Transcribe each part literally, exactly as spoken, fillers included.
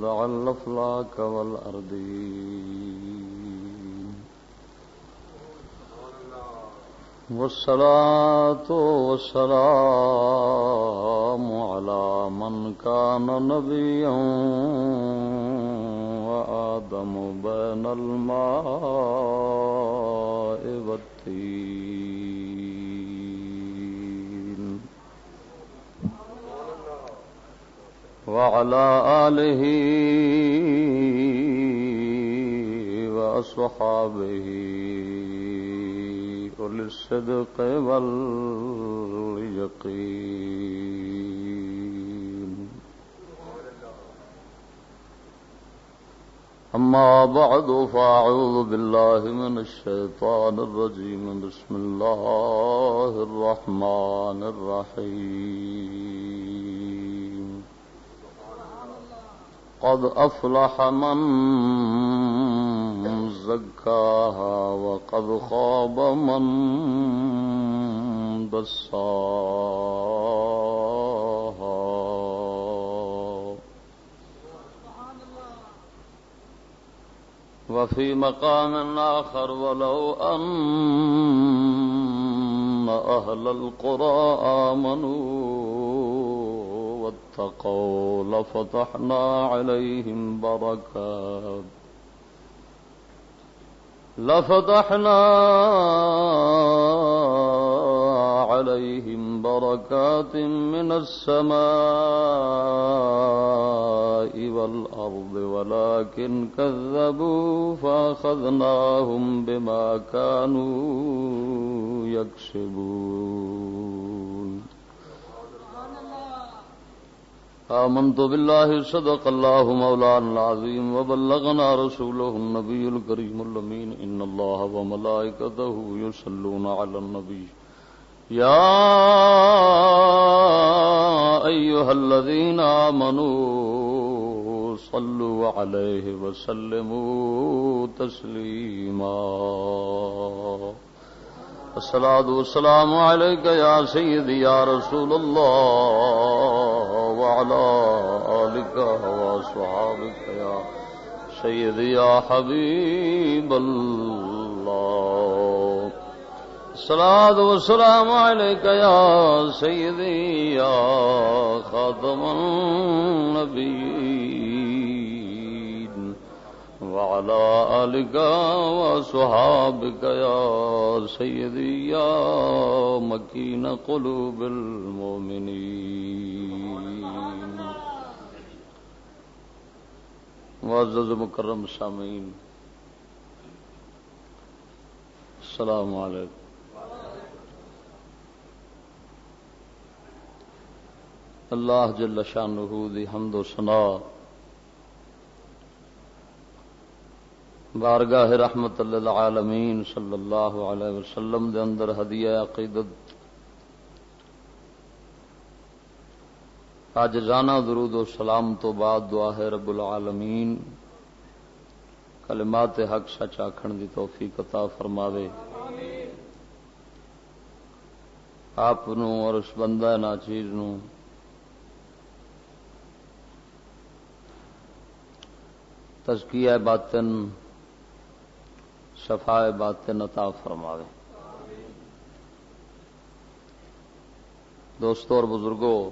الأفلاك والأرضين. والصلاة والسلام على من كان نبيا وآدم بين الماء والطين. وعلى آله وأصحابه أولي الصدق واليقين. أما بعد، فأعوذ بالله من الشيطان الرجيم. بسم الله الرحمن الرحيم. قد أفلح من زكاها وقد خاب من دساها. وفي مقام آخر، ولو أن أهل القرى آمنوا واتقوا لفتحنا عليهم بركات، لفتحنا عليهم بركات من السماء والأرض ولكن كذبوا فأخذناهم بما كانوا يكسبون. آمنت بالله، صدق الله مولانا العظيم، وبلغنا رسوله النبي الكريم الأمين. إن الله وملائكته يصلون على النبي. يا أيها الذين آمنوا صلوا عليه وسلموا تسليما. الصلاة والسلام عليك يا سيدي يا رسول الله، وعلى آلك وأصحابك يا سيدي يا حبيب الله. الصلاة والسلام عليك يا سيدي يا خاتم النبيين، وعلى آلك وأصحابك يا سيدي يا مكين قلوب المؤمنين. معزز مکرم سامعین، السلام علیکم۔ اللہ جل شانہ دی حمد و ثنا، بارگاہ رحمت للعالمین صلی اللہ علیہ وسلم دے اندر ہدیہ عقیدت، عاجزانہ درود و سلام تو بعد دعا ہے رب العالمین کلمات حق سچ آکھن دی توفیق عطا فرماوے۔ آپ نو اور اس بندہ ناچیز نو تزکیہ باطن، صفائے باطن عطا فرماوے۔ دوستو اور بزرگو،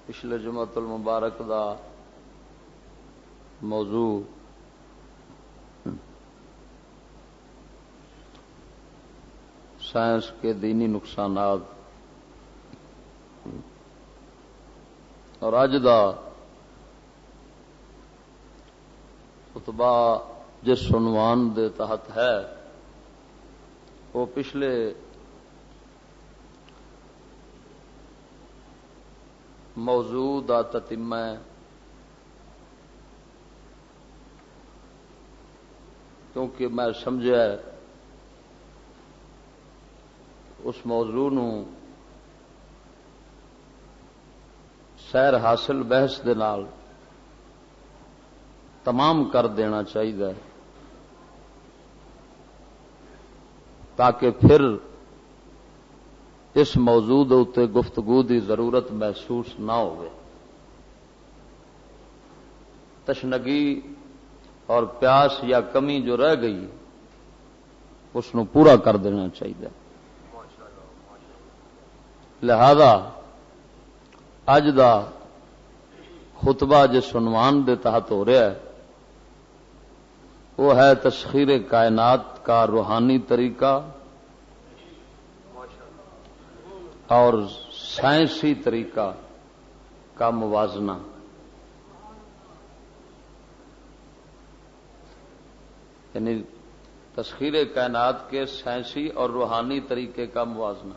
پچھلے جمعۃ المبارک دا موضوع سائنس کے دینی نقصانات، اور اج دا خطبہ جس عنوان دے تحت ہے، وہ پچھلے موضوع دا تتمہ ہے، کیونکہ میں سمجھا ہے اس موضوع نو سیر حاصل بحث دے نال تمام کر دینا چاہیے، تاکہ پھر اس موضوع دے اُتے گفتگو دی ضرورت محسوس نہ ہوئے۔ تشنگی اور پیاس یا کمی جو رہ گئی، اس نو پورا کر دینا چاہیے۔ لہذا اج دا خطبہ جس عنوان دے تحت ہو رہا ہے، وہ ہے تسخیر کائنات کا روحانی طریقہ اور سائنسی طریقہ کا موازنہ۔ یعنی تسخیر کائنات کے سائنسی اور روحانی طریقے کا موازنہ،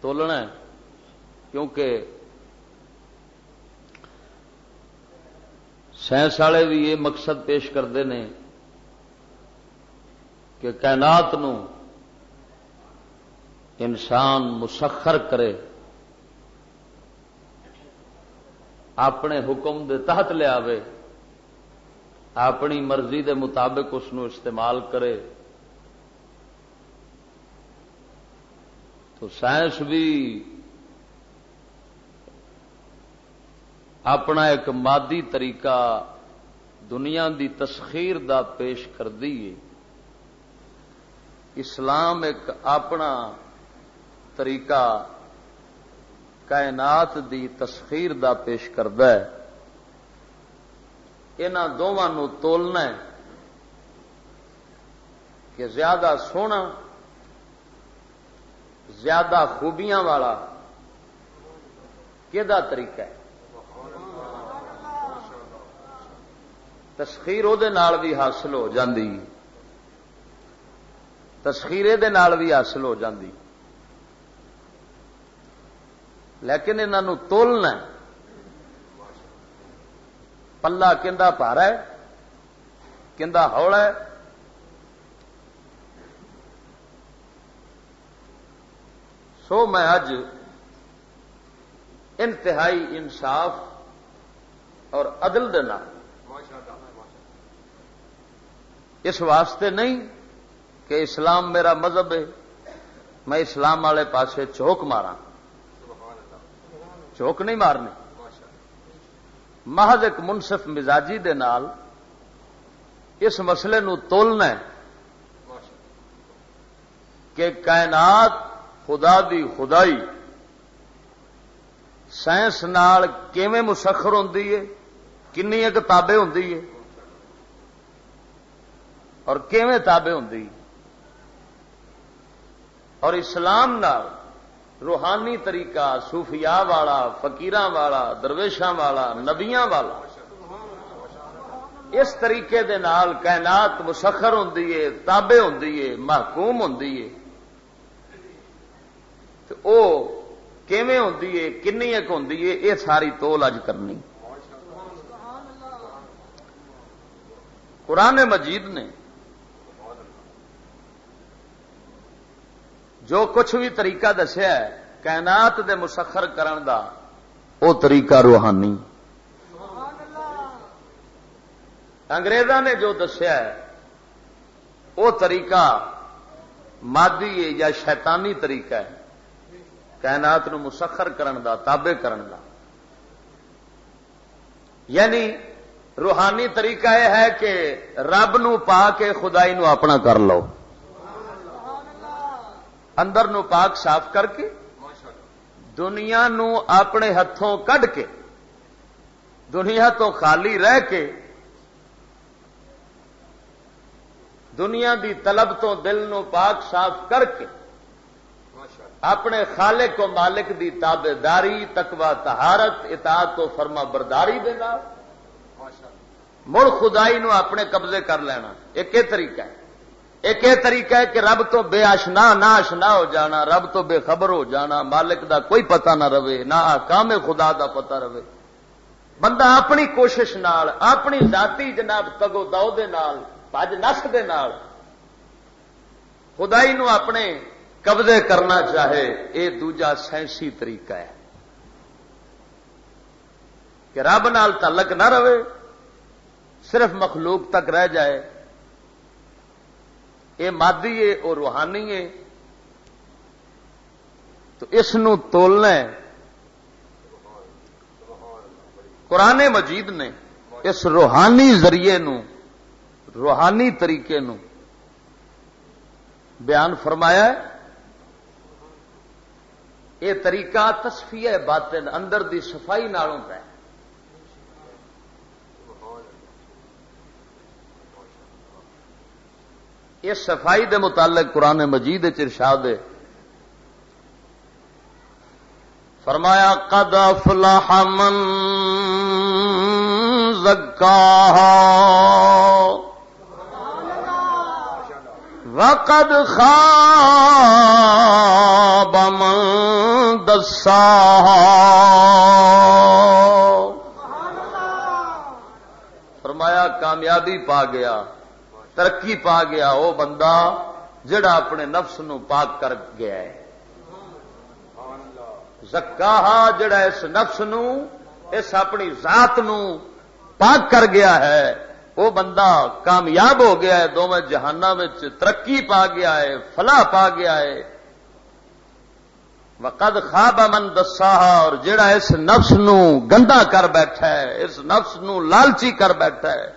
تولنا ہے، کیونکہ سائنس والے بھی یہ مقصد پیش کرتے ہیں کہ کائنات نو انسان مسخر کرے، اپنے حکم دے تحت لے آوے، اپنی مرضی دے مطابق اس نو استعمال کرے۔ تو سائنس بھی اپنا ایک مادی طریقہ دنیا دی تسخیر دا پیش کر دیے۔ اسلام ایک اپنا طریقہ کائنات دی تسخیر دا پیش کردا ہے۔ انہاں دوواں نوں تولنا ہے کہ زیادہ سوہنا، زیادہ خوبیاں والا کہدا طریقہ ہے۔ تسخیر او دے نال بھی حاصل ہو جاندی، تسخیر اے دے نال بھی حاصل ہو جاندی، لیکن انہاں نوں تولنا ہے۔ پلہ کندا بھارا ہے، کندا ہولا ہے۔ سو میں اج انتہائی انصاف اور عدل دے نال، اس واسطے نہیں کہ اسلام میرا مذہب ہے، میں اسلام والے پاسے جھوک ماراں، جھوک نہیں مارنی۔ محض ایک منصف مزاجی دے نال اس مسئلے نو تولنا ہے کہ کائنات، خدا دی خدائی سائنس نال کیویں مسخر ہوندی ہے، کنی ایک تابع ہوندی ہے اور کیویں تابع ہوندی ہے۔ اور اسلام نال روحانی طریقہ، صوفیاء والا، فقیراں والا، درویشاں والا، نبیاں والا، اس طریقے دے نال کائنات مسخر ہوندی ہے، تابع ہوندی ہے، محکوم ہوندی ہے۔ تے او کیویں ہوندی ہے، کنی ایک ہوندی ہے، اے ساری تول اج کرنی۔ قرآن مجید نے جو کچھ بھی طریقہ دسیا ہے کائنات دے مسخر کرن دا، او طریقہ روحانی۔ انگریزاں نے جو دسیا ہے، او طریقہ مادی ہے یا شیطانی طریقہ ہے کائنات نو مسخر کرن دا، تابع کرن دا۔ یعنی روحانی طریقہ یہ ہے کہ رب نو پا کے خدائی نو اپنا کر لو، اندر نو پاک صاف کر کے، دنیا نو اپنے ہتھوں کڈ کے، دنیا تو خالی رہ کے، دنیا دی طلب تو دل نو پاک صاف کر کے، اپنے خالق و مالک دی تابعداری، تقوی، طہارت، اطاعت و فرما برداری دے نال مڑ خدائی نو اپنے قبضے کر لینا۔ ایک یہ طریقہ ہے۔ ایک یہ طریقہ ہے کہ رب تو بے آشنا، نہ آشنا ہو جانا، رب تو بے خبر ہو جانا، مالک دا کوئی پتہ نہ رہے، نہ احکام خدا دا پتہ رہے۔ بندہ اپنی کوشش نال، اپنی ذاتی جناب تگو دو دے نال، بھج نس دے نال خدائی نو اپنے قبضے کرنا چاہے، اے دوجا سائنسی طریقہ ہے کہ رب نال تعلق نہ رہے، صرف مخلوق تک رہ جائے۔ اے مادی ہے، او روحانی ہے۔ تو اس نو تولنا ہے۔ قرآن مجید نے اس روحانی ذریعے نو، روحانی طریقے نو بیان فرمایا ہے۔ یہ طریقہ تصفیہ باطن، اندر دی صفائی نال ہوندا ہے۔ اس صفائی دے متعلق قرآن مجید وچ ارشاد ہے، فرمایا، "قد افلح من زکاہا وقد خاب من دساہا۔" فرمایا، کامیابی پا گیا، ترقی پا گیا وہ بندہ جڑا اپنے نفس نو پاک کر گیا ہے۔ زکاہا، جڑا اس نفس نو، اس اپنی ذات نو پاک کر گیا ہے، وہ بندہ کامیاب ہو گیا ہے، دوویں جہاناں وچ ترقی پا گیا ہے، فلاح پا گیا ہے۔ وقد خاب من دساہا، اور جڑا اس نفس نو گندا کر بیٹھا ہے، اس نفس نو لالچی کر بیٹھا ہے،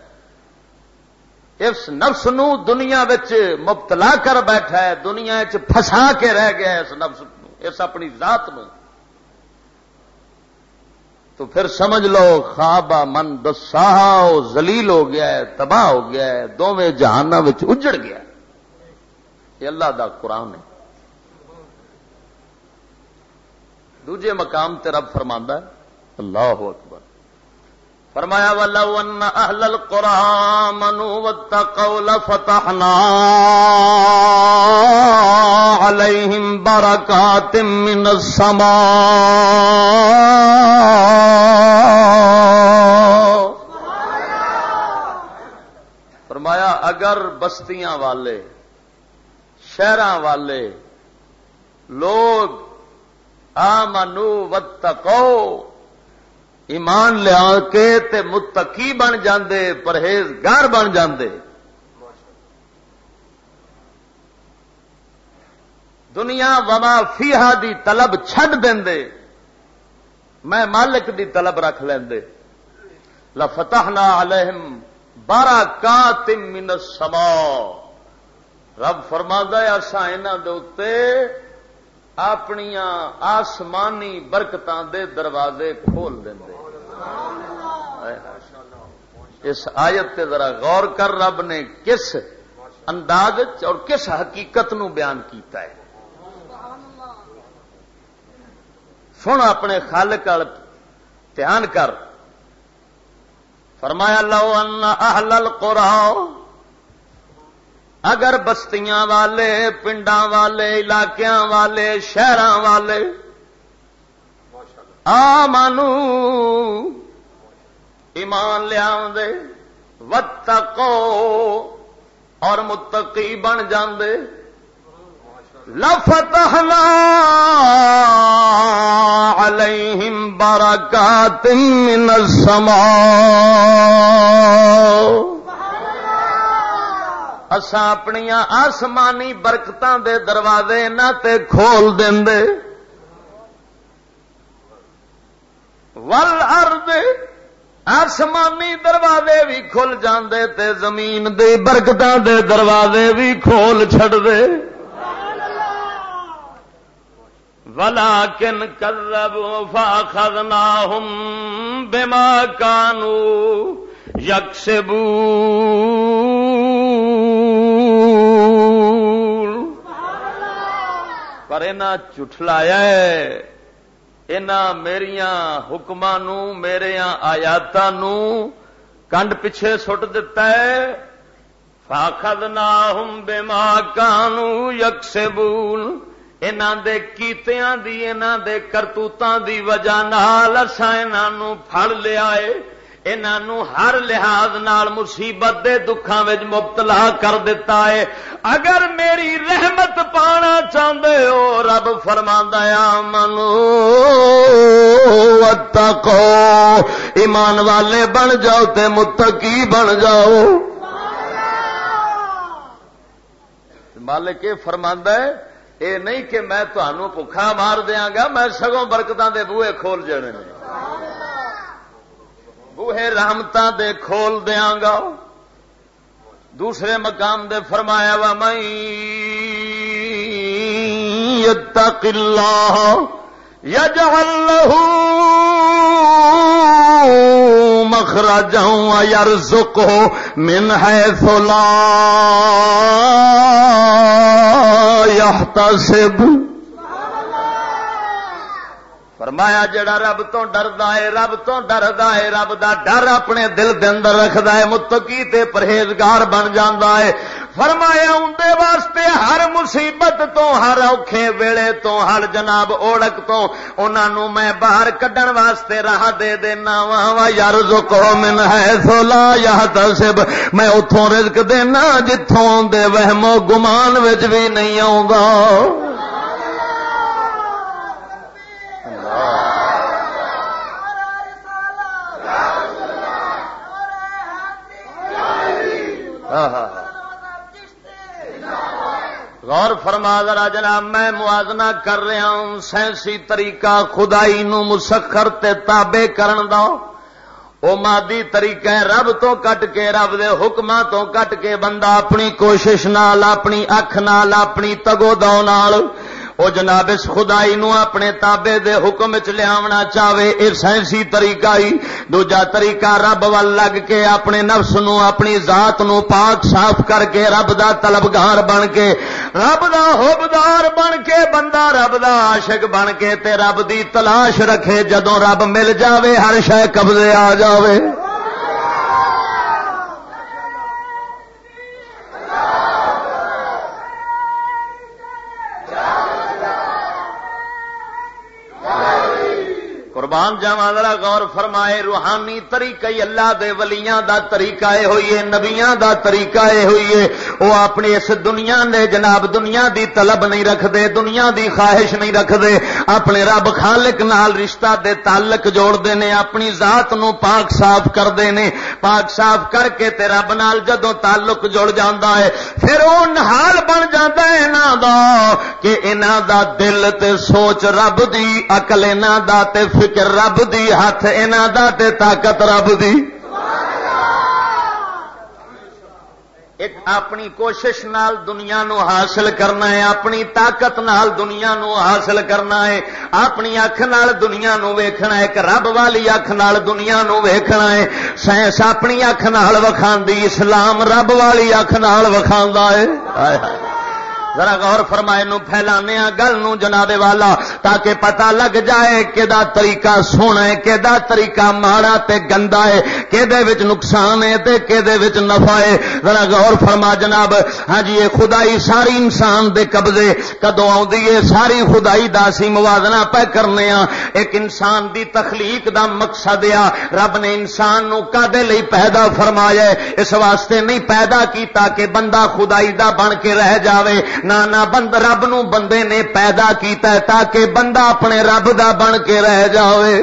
اس نفس نو دنیا وچ مبتلا کر بیٹھا ہے، دنیا وچ پھنسا کے رہ گیا ہے اس نفس نو، اس اپنی ذات نو، تو پھر سمجھ لو، خواب من دساہا، وہ ذلیل ہو گیا ہے، تباہ ہو گیا ہے، دوویں جہاناں وچ اجڑ گیا ہے۔ یہ اللہ دا قرآن ہے۔ دوجے مقام تے رب فرماندا ہے، اللہ اکبر، فرمایا، "ولو ان اہل القرى آمنوا واتقوا لفتحنا علیہم برکات من السماء۔" فرمایا، اگر بستیاں والے، شہراں والے لوگ آمنو واتقو، ایمان لیا کے تے متقی بن جاندے، پرہیزگار بن جاندے، دنیا وما فیہا دی طلب چھڈ دیندے، میں مالک دی طلب رکھ لیندے۔ لفتحنا علیہم برکات من السماء۔ رب فرماندا ہے، اساں انہاں دے اُتے اپنیاں آسمانی برکتاں دے دروازے کھول دیندے۔ اس آیت تے ذرا غور کر، رب نے کس انداز وچ اور کس حقیقت نو بیان کیتا ہے۔ سن، اپنے خالق وال دھیان کر۔ فرمایا، "لو ان اہل القرى"، اگر بستیاں والے، پنڈاں والے، علاقیاں والے، شہراں والے، آمنو، ایمان لے آوندے، واتقو، اور متقی بن جاندے، لفتحنا علیہم برکات من السماء، اساں اپنیاں آسمانی برکتاں دے دروازے انہاں تے کھول دیندے۔ والارض، آسمانی دروازے بھی کھل جاندے تے زمین دی برکتاں دے دروازے بھی کھول چھڈ دے۔ ولکن کذبوا فاخذناہم بما کانوا یکسبون۔ پر انہاں جھٹلایا ہے، انہاں میریاں حکماں نو، میریاں آیاتاں نو کنڈ پچھے سٹ دتا ہے۔ فَأَخَذْنَاهُمْ بِمَا كَانُوا يَكْسِبُونَ، انہاں دے کیتیاں دی، انہاں دے کرتوتاں دی وجہ نال اساں انہاں نو پھڑ لیا ہے، انہاں نو ہر لحاظ نال مصیبت دے دکھاں وچ مبتلا کر دتا ہے۔ اگر میری رحمت پانا چاہندے ہو، رب فرماندا ہے، "آمنو واتقو"، ایمان والے بن جاؤ تے متقی بن جاؤ۔ مالک یہ فرماندا ہے، اے نہیں کہ میں تانوں بھکھا مار دیاں گا، میں سگوں برکتاں دے بوئے کھول جانے نے۔ وہ رحمتاں دے کھول دیاں گا۔ دوسرے مقام دے فرمایا، "وَمَن يَتَّقِ اللَّهَ يَجْعَل لَّهُ مَخْرَجًا وَيَرْزُقْهُ مِنْ حَيْثُ لَا يَحْتَسِبُ۔" فرمایا، جڑا رب تو ڈردا ہے، رب تو ڈردا ہے، رب دا ڈر اپنے دل دے اندر رکھدا ہے، متقی تے پرہیزگار بن جاندا ہے۔ فرمایا، اوندے واسطے ہر مصیبت تو، ہر اوکھے ویلے تو، ہر جناب اوڑک تو، انہاں نوں میں باہر کڈن واسطے راہ دے دینا وا۔ وَيَرْزُقْهُ مِنْ حَيْثُ لَا يَحْتَسِبُ، میں اتھوں رزق دینا جتھوں دے وہم و گمان وچ بھی نہیں آوندا۔ ہاں، ہاں، ہاں۔ غور فرما ذرا جناب، میں موازنہ کر رہا ہوں، سائنسی طریقہ خدائی نو مسخر تے تابع کرن دا۔ او مادی طریقہ ہے، رب تو کٹ کے، رب دے حکماں تو کٹ کے بندہ اپنی کوشش نال، اپنی اکھ نال، اپنی تگو دو نال او جناب اس خدائی نو اپنے تابع دے حکم وچ لیاونا چاہے، اے سائنسی طریقہ ہی۔ دوجا طریقہ، رب ول لگ کے اپنے نفس نو، اپنی ذات نو پاک صاف کر کے، رب دا طلبگار بن کے، رب دا حبدار بن کے، بندہ رب دا عاشق بن کے تے رب دی تلاش رکھے۔ جدوں رب مل جاوے، ہر شے قبضے آ جاوے۔ قربان جاواں، ذرا غور فرمائے، روحانی طریقہ ہی اللہ دے ولیاں دا طریقہ اے ہوئی ہے، نبیاں دا طریقہ اے ہوئی ہے۔ او اپنی اس دنیا نے جناب، دنیا دی طلب نہیں رکھدے، دنیا دی خواہش نہیں رکھدے، اپنے رب خالق نال رشتہ دے تعلق جوڑدے نے، اپنی ذات نو پاک صاف کردے نے۔ پاک صاف کر کے تے رب نال جدوں تعلق جڑ جاندا ہے، پھر او نال بن جاندا ہے انہاں دا، کہ انہاں دا دل تے سوچ رب دی، عقل انہاں دا تے فکر رب دی، ہتھ انہاں دا تے طاقت رب دی۔ ایک اپنی کوشش نال دنیا نو حاصل کرنا ہے، اپنی طاقت نال دنیا نو حاصل کرنا ہے، اپنی اکھ نال دنیا نو ویکھنا ہے، ایک رب والی اکھ نال دنیا نو ویکھنا ہے۔ سائنس اپنی اکھ نال وکھاندی، اسلام رب والی اکھ نال وکھاندا ہے۔ ہائے ہائے۔ ذرا غور فرمائے، نو پھیلانے آ گل نو جناب والا، تاکہ پتہ لگ جائے کدا طریقہ سونا ہے، کدا طریقہ ماڑا تے گندا ہے، کدے وچ نقصان ہے تے کدے وچ نفع ہے۔ ذرا غور فرما جناب۔ ہاں جی، یہ خدائی ساری انسان دے قبضے کدوں آوندی ہے؟ ساری خدائی دا اسی موازنہ پہ کرنے ہاں۔ ایک انسان دی تخلیق دا مقصد آ، رب نے انسان نو کدے لئی پیدا فرمایا ہے؟ اس واسطے نہیں پیدا کیتا کہ بندہ خدائی دا بن کے رہ جاوے۔ نہ، نہ، بند-، رب نو بندے نے پیدا کیتا ہے تاکہ بندہ اپنے رب دا بن کے رہ جاوے۔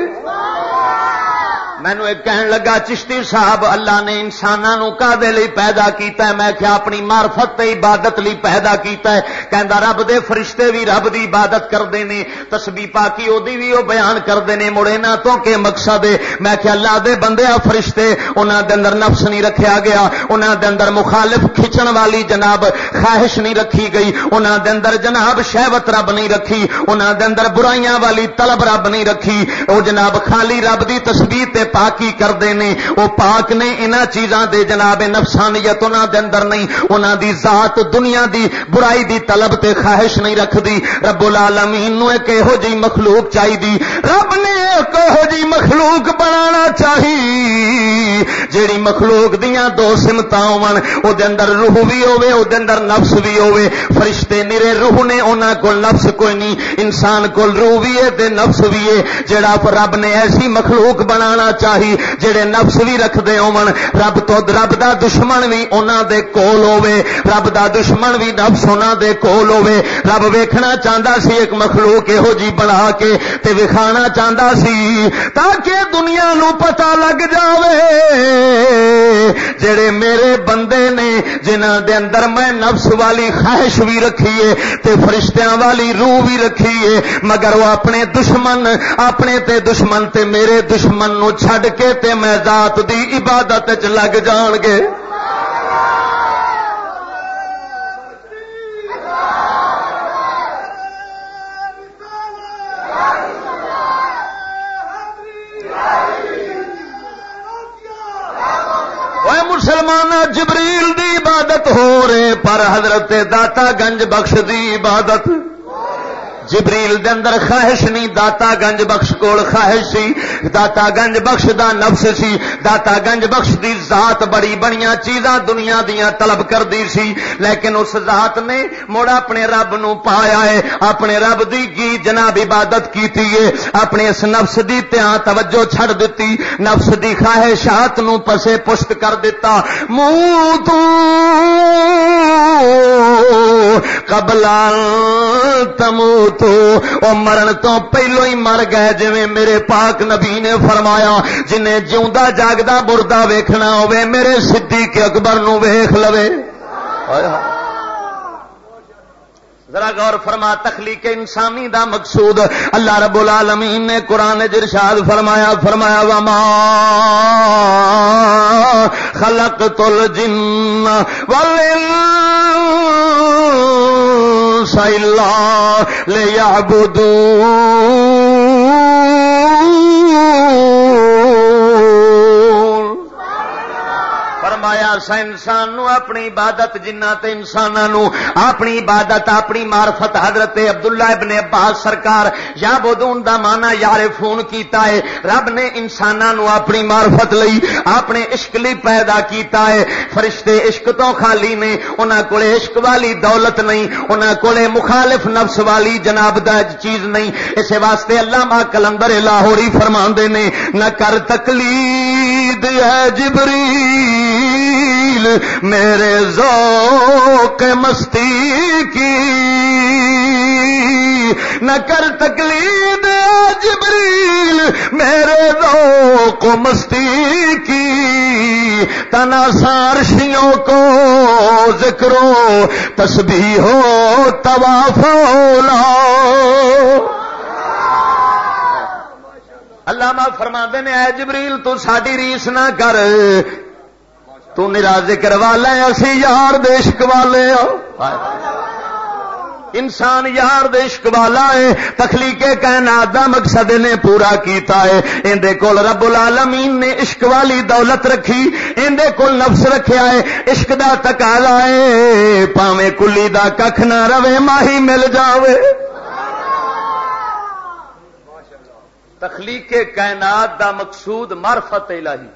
مینوں ایک کہن لگا، "چشتی صاحب، اللہ نے انساناں نو کدے لئی پیدا کیتا ہے؟" میں کہیا، "اپنی معرفت تے عبادت لئی پیدا کیتا ہے۔" کہندا، "رب دے فرشتے بھی رب دی عبادت کردے نے، تسبیح پاکی او دی بھی او بیان کردے نے، مڑ انہاں تو کے مقصد ہے؟" میں کہیا، "اللہ دے بندے، آ فرشتے، انہاں دے اندر نفس نہیں رکھیا گیا، انہاں دے اندر مخالف کھچن والی جناب خواہش نہیں رکھی گئی، انہاں دے اندر جناب شہوت رب نہیں رکھی، انہاں دے اندر برائیاں والی طلب رب نہیں رکھی، او جناب خالی رب دی تسبیح تے پاکی کردے نے، او پاک نے انہاں چیزاں دے جناب نفسانیت انہاں دے اندر نہیں، انہاں دی ذات دنیا دی برائی دی طلب تے خواہش نہیں رکھدی۔" رب العالمین نو ایک ایہو جی مخلوق چاہیدی، رب نے ایک ایہو جی مخلوق بنانا چاہی، جیڑی مخلوق دیاں دو سمتاں ہون، او دے اندر روح بھی ہوے، او دے اندر نفس بھی ہوے۔ فرشتے نرے روح نے، انہاں کول نفس کوئی نہیں۔ انسان کول روح بھی ہے تے نفس بھی ہے۔ جیڑا رب نے ایسی مخلوق بنانا چاہی، جڑے نفس بھی رکھدے ہون، رب تو، رب دا دشمن بھی انہاں دے کول ہوے، رب دا دشمن بھی نفس انہاں دے کول ہوے۔ رب ویکھنا چاہندا سی ایک مخلوق یہو جی بنا کے تے وکھانا چاہندا سی، تاکہ دنیا نو پتہ لگ جاوے، جڑے میرے بندے نے، جنہاں دے اندر میں نفس والی خواہش بھی رکھی ہے تے فرشتیاں والی روح بھی رکھی ہے، مگر وہ اپنے دشمن، اپنے تے دشمن تے میرے دشمن نو چھڈ کے تے میں ذات دی عبادت وچ لگ جان گے۔ اے مسلماناں، جبریل دی عبادت ہو رہے، پر حضرت داتا گنج بخش دی عبادت، جبریل دے اندر خواہش نہیں، داتا گنج بخش کول خواہش سی۔ داتا گنج بخش دا نفس سی، داتا گنج بخش دی ذات بڑی بڑیاں چیزاں دنیا دیاں طلب کردی سی، لیکن اس ذات نے مڑ اپنے رب نو پایا ہے، اپنے رب دی کی جناب عبادت کیتی ہے، اپنے اس نفس دی تیاں توجہ چھڈ دتی، نفس دی خواہشات نو پسے پشت کر دتا۔ موتو قبل ان تموتو، او مرن تو پہلو ہی مر گئے، جویں میرے پاک نبی نے فرمایا، جنہیں جیوندا جاگدا مردہ ویکھنا ہوے، میرے صدیق اکبر نو ویکھ لوے۔ ہائے ہائے۔ ذرا غور فرما، تخلیق انسانی دا مقصود اللہ رب العالمین نے قرآن وچ ارشاد فرمایا، فرمایا، "وما خلقت الجن والانس الا لیعبدون۔" فرمایا، اساں انسان نو اپنی عبادت، جناں تے انساناں نو اپنی عبادت، اپنی معرفت، حضرت عبداللہ ابن عباس سرکار، یعبدون دا معنی یعرفون کیتا ہے۔ رب نے انساناں نو اپنی معرفت لئی، اپنے عشق لئی پیدا کیتا ہے۔ فرشتے عشق تو خالی نے، انہاں کولے عشق والی دولت نہیں، انہاں کولے مخالف نفس والی جناب دا چیز نہیں۔ اس واسطے علامہ قلندر لاہوری فرماندے نے، "نہ کر تقلید اے جبریل میرے ذوق مستی کی، نہ کر تقلید اے جبریل میرے ذوق مستی کی، تناسا عرشیوں کو ذکر و تسبیح و طواف اولا۔" علامہ فرماندے نے، "اے جبریل، تو ساڈی ریس نہ کر، تو نرا ذکر والا ہے، اسی یار دے عشق والے ہاں۔" انسان یار دے عشق والا ہے، تخلیق کائنات دا مقصد نے پورا کیتا ہے۔ ایندے کول رب العالمین نے عشق والی دولت رکھی، ایندے کول نفس رکھیا ہے، عشق دا تقاضا ہے، پاویں کلی دا ککھ نہ رہے، ماہی مل جاوے۔ تخلیق کائنات دا مقصود معرفت الہی۔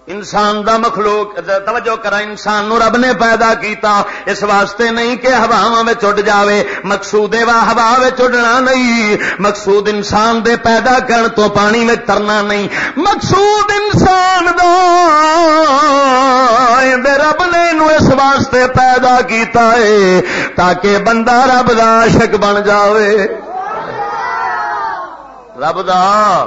انسان دا مخلوق، توجہ کرا، انسان نو رب نے پیدا کیتا اس واسطے نہیں کہ ہواواں وچ اڈ جاوے۔ مقصود اے وا ہوا وچ اڈنا نہیں، مقصود انسان دے پیدا کرن تو پانی وچ ترنا نہیں۔ مقصود انسان دا، اے دے رب نے نو اس واسطے پیدا کیتا ہے تاکہ بندہ رب دا عاشق بن جاوے۔ رب دا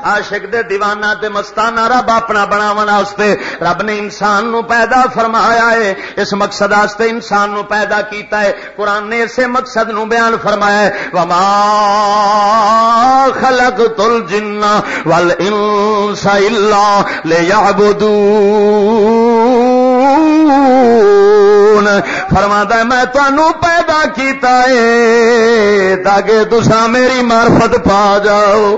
عاشق دے دیوانہ تے مستانہ رب اپنا بناون واسطے رب نے انسان نو پیدا فرمایا ہے۔ اس مقصد واسطے انسان نو پیدا کیتا ہے۔ قرآن نے اسے مقصد نو بیان فرمایا ہے، "وما خلقت الجن والانس الا لیعبدون۔" فرماتا ہے، میں تانوں پیدا کیتا ہے تاکہ تساں میری معرفت پا جاؤ۔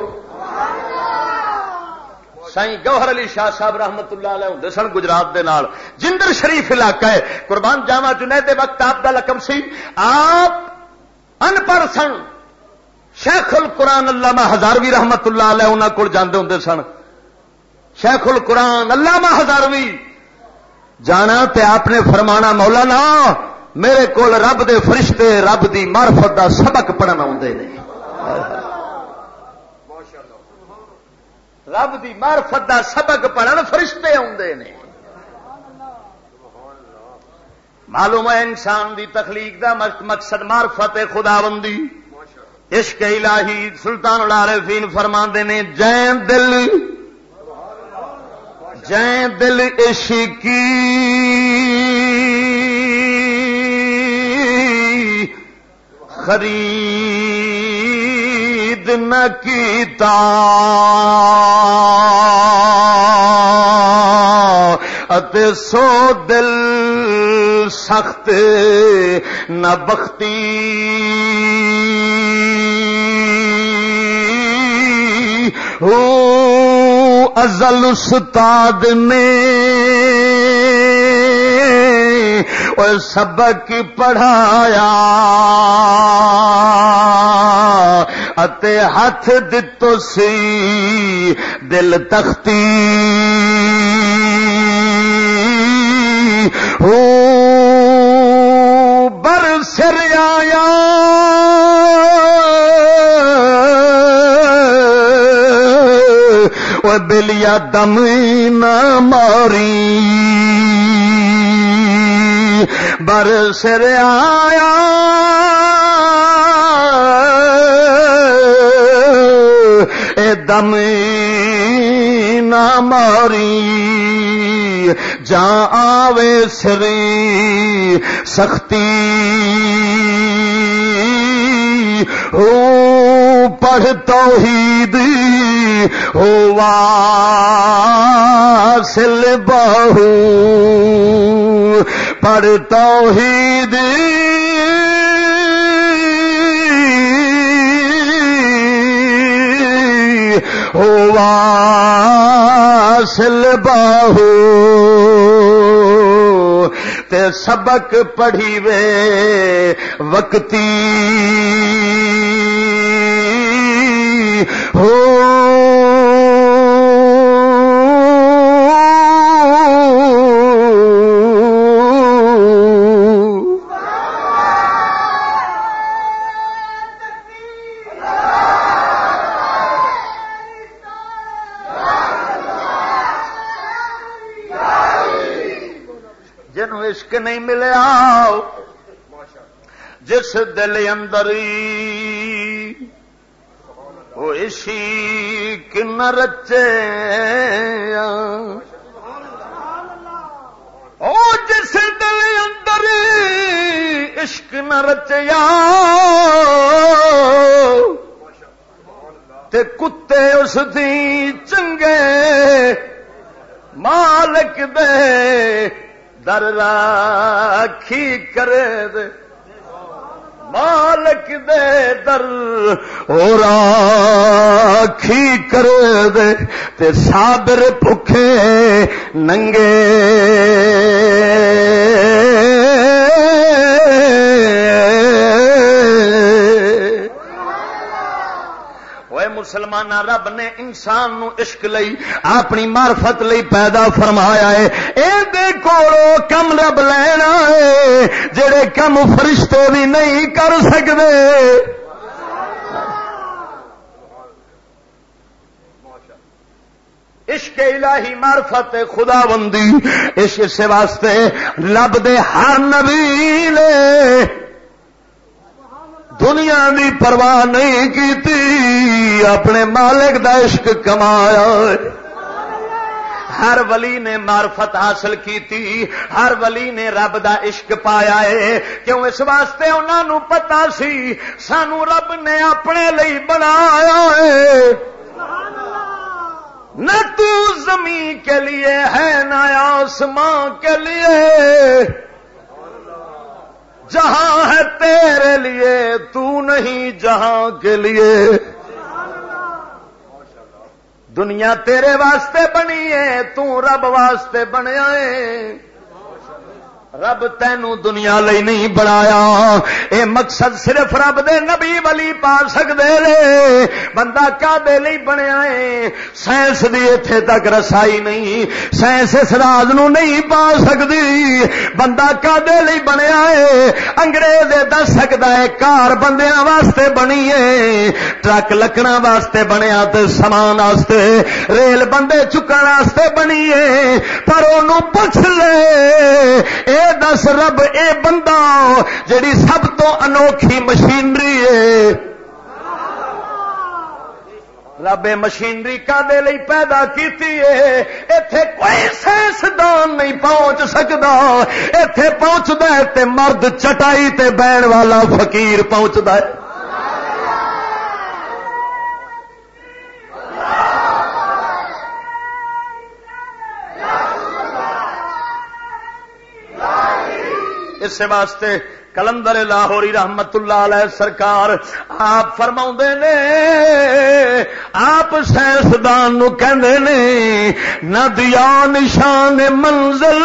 سائیں گوہر علی شاہ صاحب رحمت اللہ علیہ ہوندے سن گجرات دے نال، جندر شریف علاقہ ہے، قربان جاواں، جنید وقت آپ دا لقب سی۔ آپ ان پڑھ سن۔ شیخ القرآن علامہ ہزاروی رحمت اللہ علیہ انہاں کول جاندے ہوندے سن۔ شیخ القرآن علامہ ہزاروی جانا تے آپ نے فرمانا، "مولانا، میرے کول رب دے فرشتے رب دی معرفت دا سبق پڑھن آوندے نے۔" رب دی معرفت دا سبق پڑھن فرشتے آوندے نے۔ معلوم ہے انسان دی تخلیق دا مق-، مقصد معرفت خداوندی، عشق الہی۔ سلطان العارفین فرماندے نے، جیں دل، جیں دل عشقی خرید نہ کیتا، اتے سو دل سخت نہ بختی۔ ہو ازل استاد نے او سبق پڑھایا، اتے ہاتھ دتو سی دل تختی۔ ہو بر سر آیا، او بلیا دم نہ ماری، بر سر آیا، اے دم نہ ماری، جاں آوے سری سختی۔ ہو پڑھ توحید ہو واصل باہو، پڑھ توحید ہو واصل باہو، تے سبق پڑھی وے وقتی۔ ہو جنوں عشق نہیں ملیا، جس دل اندر ہی وہ عشق نہ رچے، او جس دل اندر عشق نہ رچیا، تے کتے اس دی چنگے مالک دے در راکھی کرے دے، مالک دے در او راکھی کرے دے، تے صابر بھکھے ننگے۔ اوے مسلماناں، رب نے انسان نو عشق لئی، اپنی معرفت لئی پیدا فرمایا ہے۔ اے دے کولوں کم رب لینا ہے، جڑے کم فرشتے بھی نہیں کر سکدے۔ عشق الہی معرفت خداوندی، اس، اس واسطے رب دے ہر نبی نے دنیا دی پرواہ نہیں کیتی، اپنے مالک دا عشق کمایا۔ ہر ولی نے معرفت حاصل کیتی، ہر ولی نے رب دا عشق پایا ہے۔ کیوں؟ اس واسطے انہاں نوں پتہ سی، سانو رب نے اپنے لئی بنایا ہے۔ نہ تو زمین کے لیے ہے، نہ آسمان کے لیے۔ جہاں ہے تیرے لیے، تو نہیں جہاں کے لیے۔ دنیا تیرے واسطے بنی ہے، تو رب واسطے بنیا ہے۔ رب تینوں دنیا لئی نہیں بنایا۔ اے مقصد صرف رب دے نبی ولی پا سکدے نے۔ بندہ کعبے لئی بنیا ہے، سائنس دی ایتھے تک رسائی نہیں، سائنس اس راز نو نہیں پا سکدی۔ بندہ کعبے لئی بنیا ہے، انگریز اے دس سکدا ہے کار بندیاں واسطے بنی ہے، ٹرک لکڑاں واسطے بنیا تے سامان واسطے، ریل بندے چکن واسطے بنی ہے۔ پر اونوں پوچھ لے، اے دس رب، اے بندہ جڑی سب تو انوکھی مشینری ہے، رب اے مشینری کادے لئی پیدا کیتی ہے؟ ایتھے کوئی سائنسدان نہیں پہنچ سکدا۔ ایتھے پہنچدا ہے تے مرد چٹائی تے بہن والا فقیر پہنچدا ہے۔ اس واسطے کلندر لاہوری رحمت اللہ علیہ سرکار آپ فرماؤندے نے، آپ سائنسدان نو کہندے نے، "نہ دیا نشان منزل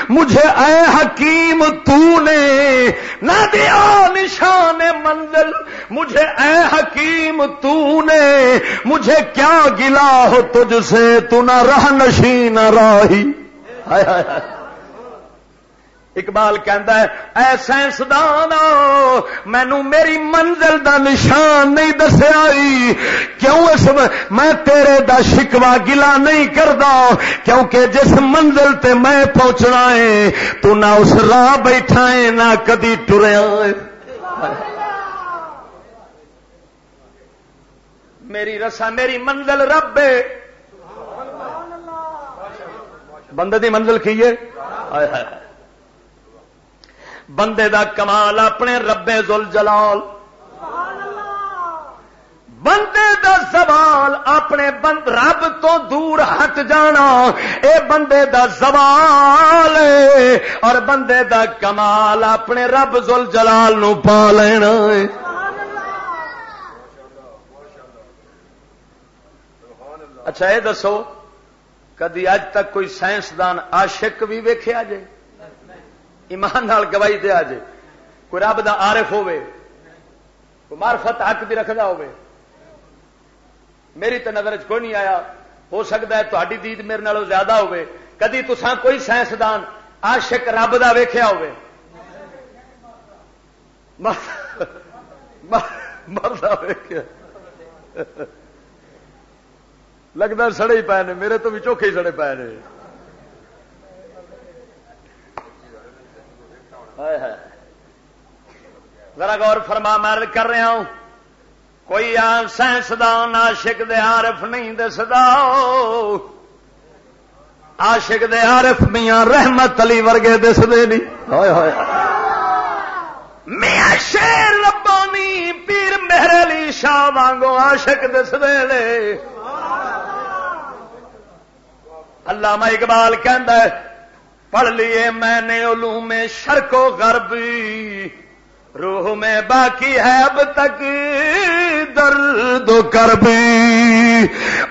مجھے اے حکیم تو نے، نہ دیا نشان منزل مجھے اے حکیم تو نے، مجھے کیا گلا ہو تجھ سے، تو نہ راہ نشین راہی۔" ہائے ہائے ہائے۔ اقبال کہندا ہے، "اے سائنسدان، مینوں میری منزل دا نشان نہیں دسیا ای، کیوں اس و-، میں تیرے دا شکوہ گلا نہیں کردا، کیونکہ جس منزل تے میں پہنچنا ہے، تو نہ اس راہ بیٹھا ہے، نہ کدی ٹریا ہے۔" میری رسا، میری منزل رب ہے۔ بندے دی منزل کی ہے؟ ہائے ہائے ہائے۔ بندے دا کمال اپنے رب ذوالجلال، بندے دا زوال اپنے بند-، رب تو دور ہٹ جانا، اے بندے دا زوال ہے، اور بندے دا کمال اپنے رب ذوالجلال نو پا لینا ہے۔ اچھا، اے دسو، کدی اج تک کوئی سائنسدان عاشق بھی ویکھیا جے؟ ایمان نال گواہی دیا جے۔ کوئی رب دا عارف ہووے، کوئی معرفت حق دی رکھدا ہووے؟ میری تے نظر چ کوئی نہیں آیا۔ ہو سکدا ہے تہاڈی دید میرے نالوں زیادہ ہووے۔ کدی تساں کوئی سائنسدان عاشق رب دا ویکھیا ہووے؟ مر-، مر-، مردا ویکھیا۔ لگدا سڑے ہی پے نے، میرے تو بھی چوکھے ہی سڑے پے نے۔ ہائے ہائے۔ ذرا غور فرما، میں عرض کر رہا ہوں، کوئی آ سائنسدان عاشق دے عارف نہیں دسدا۔ عاشق دے عارف میاں رحمت علی ورگے دسدے نہیں۔ ہائے ہائے۔ میاں شیر ربانی، پیر مہر علی شاہ وانگو عاشق دسدے نے۔ علامہ اقبال کہندا ہے، "پڑھ لیے میں نے علوم شرق و غرب، روح میں باقی ہے اب تک درد و کرب۔"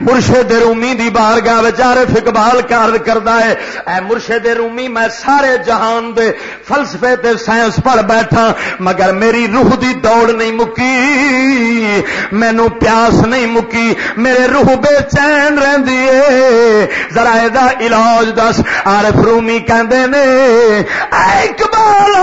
مرشد رومی دی بارگاہ وچ عارف اقبال کا عرض کردا ہے، "اے مرشد رومی، میں سارے جہان دے فلسفے تے سائنس پڑھ بیٹھا، مگر میری روح دی دوڑ نہیں مکی، مینوں پیاس نہیں مکی، میرے روح بے چین رہندی ہے، ذرا اے دا علاج دس۔" عارف رومی کہندے نے، اے اقبال،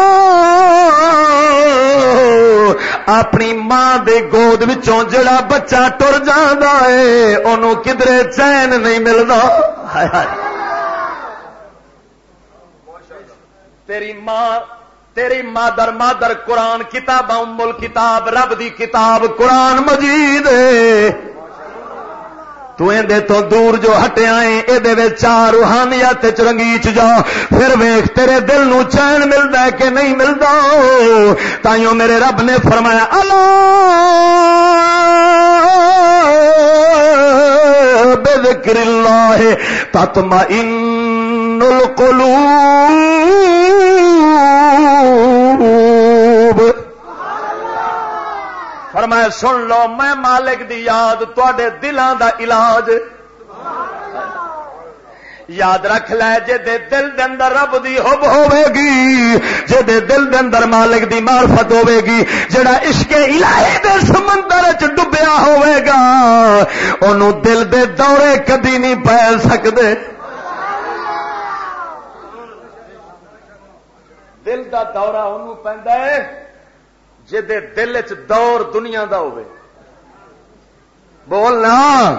اپنی ماں دے گود وچوں جڑا بچہ ٹر جاندا ہے، اونوں کدرے چین نہیں ملدا۔ ہائے ہائے۔ تیری ماں، تیری مادر، مادر قرآن، کتاب ام الکتاب، رب دی کتاب قرآن مجید ہے۔ تو ایندے تو دور جو ہٹیا ہے، اے دے وچ چار روحانیت وچ رنگیچ جا، پھر ویکھ تیرے دل نو چین ملدا ہے کہ نہیں ملدا۔ تائیوں میرے رب نے فرمایا، "الا بذکر اللہ تطمئن القلوب۔" فرمایا، سن لو، میں مالک دی یاد تواڈے دلاں دا علاج۔ یاد رکھ لے، جے دے دل دے اندر رب دی حب ہوے گی، جے دے دل دے اندر مالک دی معرفت ہوے گی، جڑا عشق الہی دے سمندر وچ ڈبیا ہوے گا، اونوں دل دے دورے کدی نہیں پے سکدے۔ دل دا دورہ اونوں پیندا ہے، جے دے دل وچ دور دنیا دا ہوے۔ بولنا،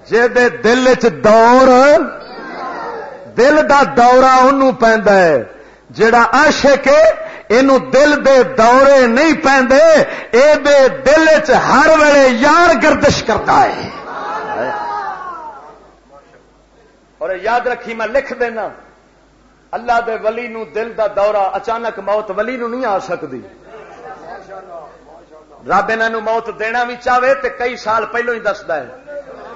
جے دے دل وچ دور، دل دا دورہ اونوں پیندا ہے۔ جڑا عاشق ہے، اینوں دل دے دورے نہیں پیندے، اے دے دل وچ ہر ویلے یار گردش کردا ہے۔ اور یاد رکھی، میں لکھ دینا، اللہ دے ولی نو دل دا دورہ، اچانک موت ولی نو نہیں آ سکدی۔ رب انہاں نو موت دینا بھی چاہے تے کئی سال پہلوں ہی دسدا ہے،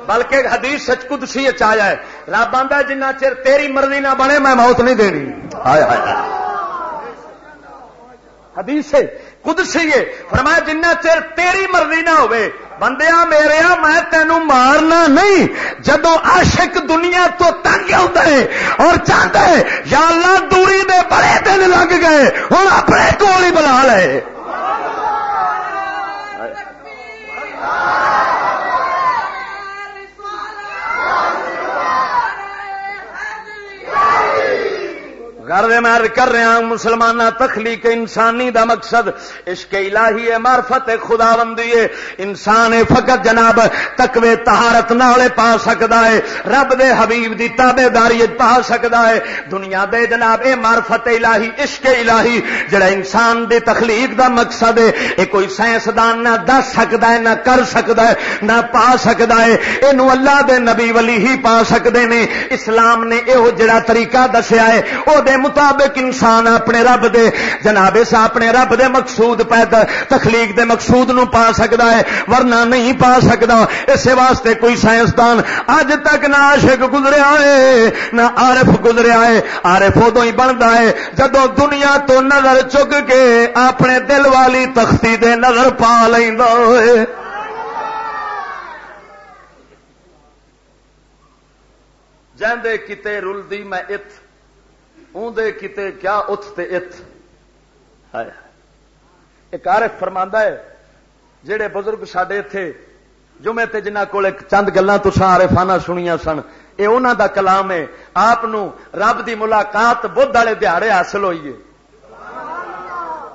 بلکہ حدیث سچ قدسی اچ آیا ہے، رب آندا ہے، "جنہ چر تیری مرضی نہ بنے، میں موت نہیں دینی۔" ہائے ہائے ہائے۔ حدیث ہے، قدسی ہے۔ فرمایا، "جنہ چر تیری مرضی نہ ہوئے، بندیا میریا، میں تینوں مارنا نہیں۔" جدوں عاشق دنیا تو تنگ ہوندا ہے اور چاہندا ہے، "یا اللہ، دوری دے بڑے دن لگ گئے، ہن اپنے کول ہی بلا لے۔" غرض میں عرض کر رہا ہوں، مسلمانہ، تخلیق انسانی دا مقصد عشق الہی ہے، معرفت خداوندی ہے۔ انسان فقط جناب تقوی طہارت نال پا سکدا ہے، رب دے حبیب دی تابعداری وچ پا سکدا ہے۔ دنیا دے جناب، اے معرفت الہی، عشق الہی، جڑا انسان دی تخلیق دا مقصد ہے، اے کوئی سائنسدان نہ دس سکدا ہے، نہ کر سکدا ہے، نہ پا سکدا ہے۔ اینو اللہ دے نبی ولی ہی پا سکدے نے۔ اسلام نے ایہو جڑا طریقہ دسیا ہے، او دے مطابق انسان اپنے رب دے، جناب، اس اپنے رب دے مقصود پیدا، تخلیق دے مقصود نو پا سکدا ہے، ورنہ نہیں پا سکدا۔ اسے واسطے کوئی سائنسدان اج تک نہ عاشق گزریا ہے، نہ عارف گزریا ہے۔ عارف ادوں ہی بندا ہے جدوں دنیا تو نظر چک کے اپنے دل والی تختی دے نظر پا لیندا ہوئے۔ جیندے کتے رلدی میں ات، اوندے کتے کیا اتھ تے ات۔ ہائے۔ ایک عارف فرماندا ہے، جڑے بزرگ ساڈے اتھے جمعے تے جنہاں کول ایک چند گلاں تساں عارفانہ سنیاں سن، اے انہاں دا کلام ہے۔ آپ نو رب دی ملاقات بدھ والے دیہاڑے حاصل ہوئی ہے۔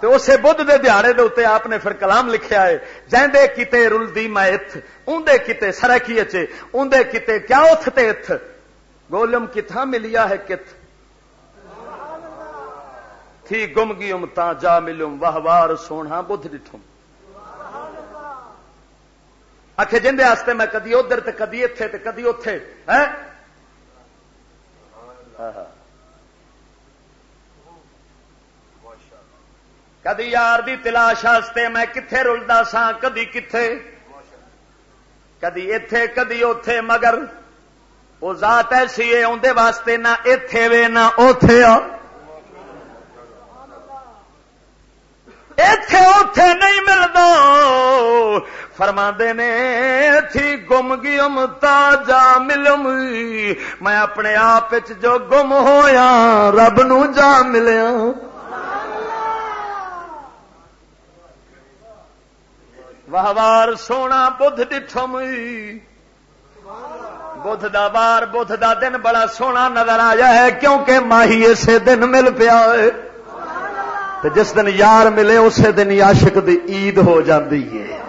تے اسے بدھ دے دیہاڑے دے اُتے آپ نے پھر کلام لکھیا ہے، "جیندے کیتے رلدی میں اتھ، اوندے کیتے سرائیکی اچ، اوندے کیتے کیا اتھ تے اتھ، گولم کتھاں ملیا ہے کت، تھی گم گیوم تاں جا ملوم، واہ وار سوہنا بدھ ڈٹھم۔" آکھے، "جیندے واسطے میں کدی ادھر تے کدی اتھے تے کدی اتھے۔" ہے؟ ہاں، ہاں۔ کدی یار دی تلاش واسطے میں کتھے رلدا ساں، کدی کتھے، کدی ایتھے، کدی اوتھے، مگر او ذات ایسی ہے، اوندے واسطے نہ ایتھے وے، نہ اوتھے آ۔ ایتھے اوتھے نہیں ملدا۔ فرماندے نے، "تھی گم گیم تا جا ملم۔" میں اپنے آپ وچ جو گم ہویا، رب نو جا ملیا۔ واہ وار سونا بدھ ڈٹھم۔ بدھ دا وار، بدھ دا دن بڑا سونا نظر آیا ہے، کیونکہ ماہی اسے دن مل پیا ہے۔ تے جس دن یار ملے، اسے دن ہی عاشق دی عید ہو جاندی ہے۔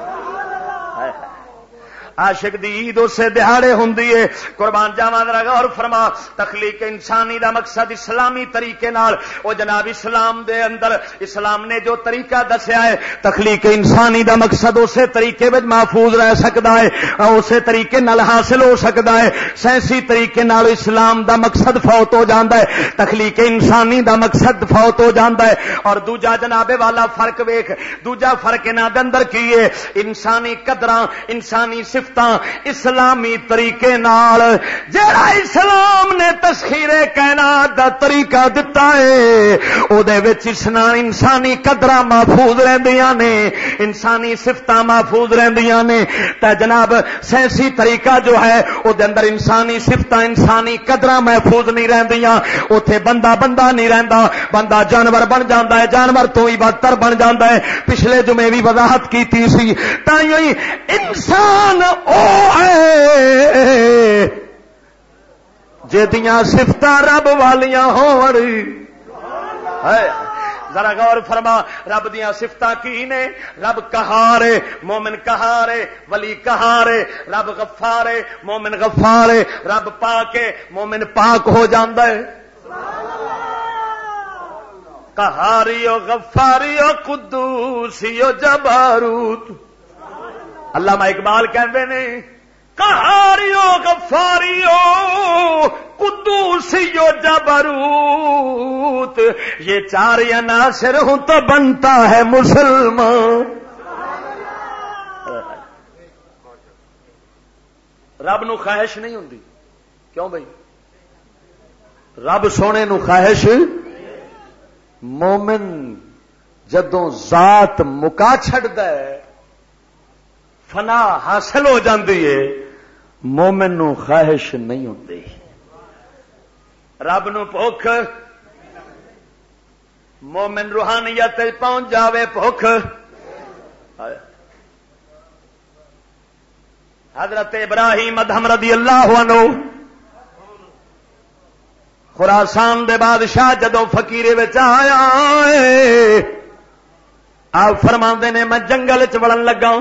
عاشق دی عید اسے دیہاڑے ہوندی ہے۔ قربان جاواں، ذرا غور فرما۔ تخلیق انسانی دا مقصد اسلامی طریقے نال، او جناب، اسلام دے اندر اسلام نے جو طریقہ دسیا ہے، تخلیق انسانی دا مقصد اسے طریقے وچ محفوظ رہ سکدا ہے، اسے طریقے نال حاصل ہو سکدا ہے۔ سائنسی طریقے نال اسلام دا مقصد فوت ہو جاندا ہے، تخلیق انسانی دا مقصد فوت ہو جاندا ہے۔ اور دوجا جناب والا فرق ویکھ، دوجا فرق انہاں دے اندر کی ہے؟ انسانی قدراں، انسانی صفتاں اسلامی طریقے نال، جڑا اسلام نے تسخیر کائنات دا طریقہ دتا ہے، او دے وچ اسنا-، انسانی قدراں محفوظ رہندیاں نے، انسانی صفتاں محفوظ رہندیاں نے۔ تے جناب، سائنسی طریقہ جو ہے، او دے اندر انسانی صفتاں، انسانی قدراں محفوظ نہیں رہندیاں۔ اوتھے بندہ بندہ نہیں رہندا، بندہ جانور بن جاندا ہے، جانور تو ہی بدتر بن جاندا ہے۔ پچھلے جمعے بھی وضاحت کیتی سی۔ تائیوں ہی انسان او ہے جدیاں صفتاں رب والیاں ہون۔ ہے۔ ذرا غور فرما، رب دیاں صفتاں کی نے؟ رب قہار ہے، مومن قہار ہے، ولی قہار ہے، رب غفار ہے، مومن غفار ہے، رب پاک ہے، مومن پاک ہو جاندا ہے۔ قہاری و غفاری و قدوسی و جباروت۔ علامہ اقبال کہندے نے، قہاری و غفاری و قدوسی و جبروت، یہ چار عناصر ہوں تو بنتا ہے مسلمان۔ رب نو خواہش نہیں ہوندی۔ کیوں بھائی؟ رب سونے نو خواہش، مومن جدوں ذات مکا چھڈدا ہے، فنا حاصل ہو جاندی ہے، مومن نو خواہش نہیں ہوندی۔ رب نو بھوک، مومن روحانیت تے پہنچ جاوے بھوک۔ حضرت ابراہیم ادہم رضی اللہ عنہ، خراسان دے بادشاہ، جدوں فقیرے وچ آیا ہے، آپ فرماندے نے، میں جنگل وچ وڑن لگا،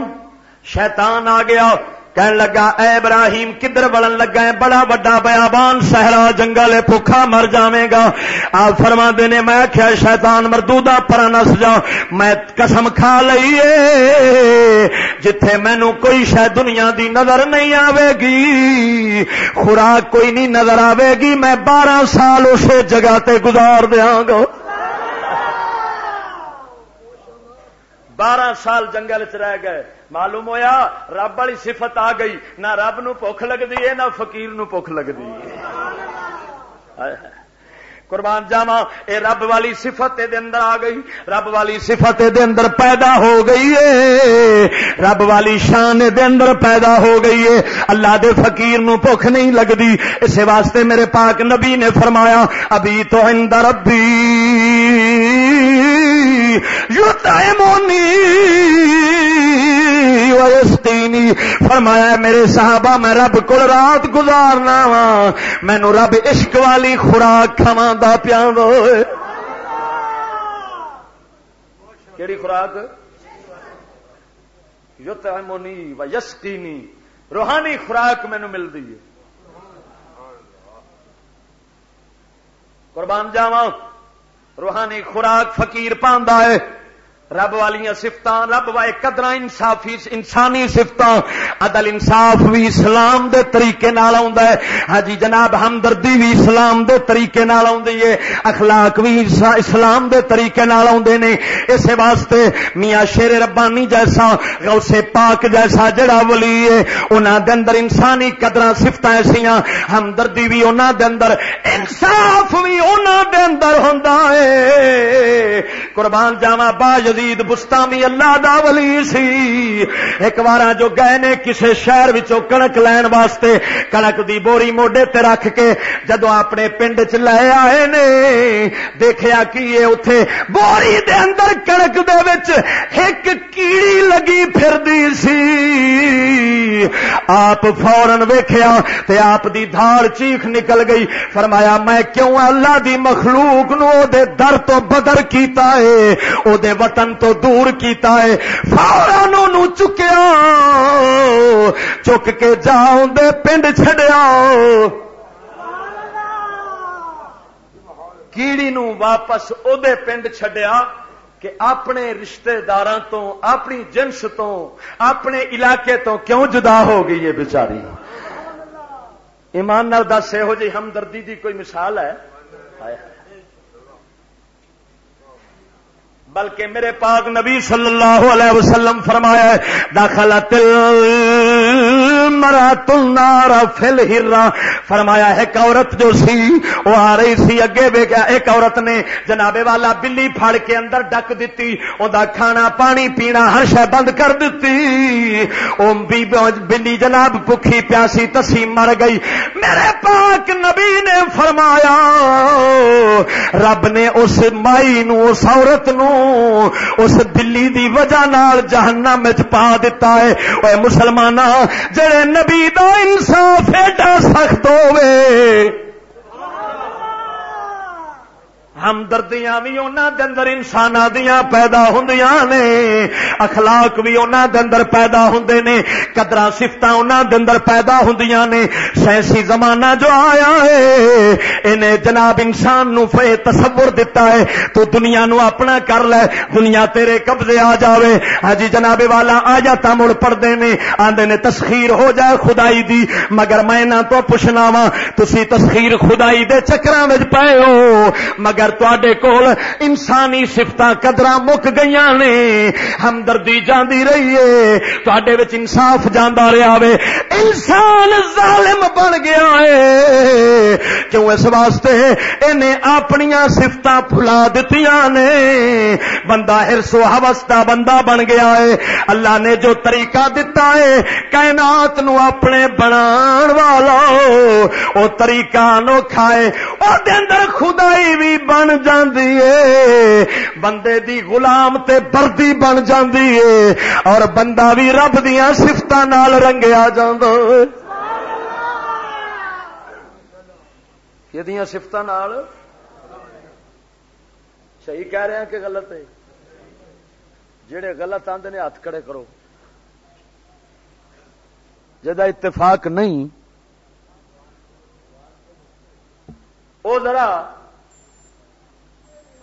شیطان آ گیا، کہن لگا، اے ابراہیم، کدھر وڑن لگا ہے؟ بڑا وڈا بیابان، صحرا، جنگل ہے، بھوکا مر جاویں گا۔ آپ فرماندے نے، میں آکھیا، شیطان مردودا، پرا نس جا، میں قسم کھا لئی اے، جتھے مینوں کوئی شے دنیا دی نظر نہیں آوے گی، خوراک کوئی نہیں نظر آوے گی، میں بارہ سال اسے جگہ تے گزار دیاں گا۔ بارہ سال جنگل چ رہ گئے، معلوم ہویا رب والی صفت آ گئی، نہ رب نو بھوک لگدی ہے، نہ فقیر نو بھوک لگدی ہے۔ ہائے ہائے۔ قربان جاواں، اے رب والی صفت دے اندر آ گئی، رب والی صفت دے اندر پیدا ہو گئی ہے، رب والی شان دے اندر پیدا ہو گئی ہے۔ اللہ دے فقیر نو بھوک نہیں لگدی۔ اس واسطے میرے پاک نبی نے فرمایا، ابیت عند ربی یطعمنی و یسقینی۔ فرمایا، میرے صحابہ، میں رب کول رات گزارنا وا، مینوں رب عشق والی خوراک کھواندا پیاندا ہوئے۔ کیڑی خوراک؟ یطعمنی و یسقینی، روحانی خوراک مینوں ملدی ہے۔ قربان جاواں، روحانی خوراک فقیر پاندا ہے۔ رب والیاں صفتاں، رب والے قدراں، انصافی، انسانی صفتاں، عدل انصاف بھی اسلام دے طریقے نال آوندا ہے۔ ہاں جی جناب، ہمدردی بھی اسلام دے طریقے نال آوندی ہے، اخلاق بھی اس-، اسلام دے طریقے نال آوندے نے۔ اس واسطے میاں شیر ربانی جیسا، غوث پاک جیسا جڑا ولی ہے، انہاں دے اندر انسانی قدراں، صفتاں ایسیاں، ہمدردی بھی انہاں دے اندر، انصاف بھی انہاں دے اندر ہوندا ہے۔ قربان جاواں، با یزید بستامی اللہ دا ولی سی۔ ایک وارا جو گئے نے کسے شہر وچوں کڑک لین واسطے، کڑک دی بوری موڈے تے رکھ کے جدوں اپنے پنڈ چ لے آئے نے، دیکھیا کی اے اتھے بوری دے اندر کڑک دے وچ ایک کیڑی لگی پھردی سی۔ آپ فوراً ویکھیا تے آپ دی دھاڑ چیخ نکل گئی۔ فرمایا، میں کیوں اللہ دی مخلوق نو او دے در تو بدر کیتا ہے، او دے وطن تو دور کیتا ہے؟ فوراً اونوں چکیا، چک کے جا اوندے پنڈ چھڈیا۔ کیڑی نو واپس اودے پنڈ چھڈیا کہ اپنے رشتہ داراں تو، اپنی جنس تو، اپنے علاقے تو کیوں جدا ہو گئی ہے بیچاری؟ ایمان نال دس، یہو جی ہمدردی دی کوئی مثال ہے؟ بلکہ میرے پاک نبی صلی اللہ علیہ وسلم فرمایا ہے، دخلت المرأة النار فی الحرہ۔ فرمایا، ایک عورت جو سی، وہ آ رہی سی، اگے ویکھیا، ایک عورت نے جناب والا بلی پھڑ کے اندر ڈک دتی، اوندا کھانا پانی پینا ہر شے بند کر دتی۔ او بی-، بلی جناب بکھی پیاسی تسی مر گئی۔ میرے پاک نبی نے فرمایا، رب نے اس مائی نو، اس عورت نو، اس بلی دی وجہ نال جہنم وچ پا دتا ہے۔ اے مسلماناں، جڑے نبی دا انصاف ایڈا سخت ہووے، ہمدردیاں وی انہاں دے اندر انساناں دیاں پیدا ہوندیاں نے، اخلاق وی انہاں دے اندر پیدا ہوندے نے، قدراں صفتاں انہاں دے اندر پیدا ہوندیاں نے۔ سائنسی زمانہ جو آیا ہے، انہیں جناب انسان نو فے تصور دتا ہے، تو دنیا نو اپنا کر لے، دنیا تیرے قبضے آ جاوے۔ ہاں جی جناب والا، آیاتاں مڑ پڑھدے نے، آندے نے تسخیر ہو جائے خدائی دی، مگر میں انہاں تو پوچھنا وا، تسی تسخیر خدائی دے چکراں وچ پئے ہو، مگر تواڈے کول انسانی صفتاں قدراں مک گئیاں نے، ہمدردی جاندی رہی ہے، تواڈے وچ انصاف جاندا رہیا وے۔ انسان ظالم بن گیا ہے، کیوں؟ اس واسطے انہیں اپنیاں صفتاں بھلا دتیاں نے۔ بندہ حرص و ہوس دا بندہ بن گیا ہے۔ اللہ نے جو طریقہ دتا ہے کائنات نو اپنے بنان والا، او طریقہ انوکھا ہے۔ او دے اندر خدائی بھی بن جاندی ہے، بندے دی غلام تے بردی بن جاندی ہے، اور بندہ بھی رب دیاں صفتاں نال رنگیا جاندا ہے۔ یہ دیاں صفتاں نال۔ صحیح کہہ رہے ہیں کہ غلط ہے؟ جڑے غلط آندے نے ہاتھ کھڑے کرو۔ جدا اتفاق نہیں، او ذرا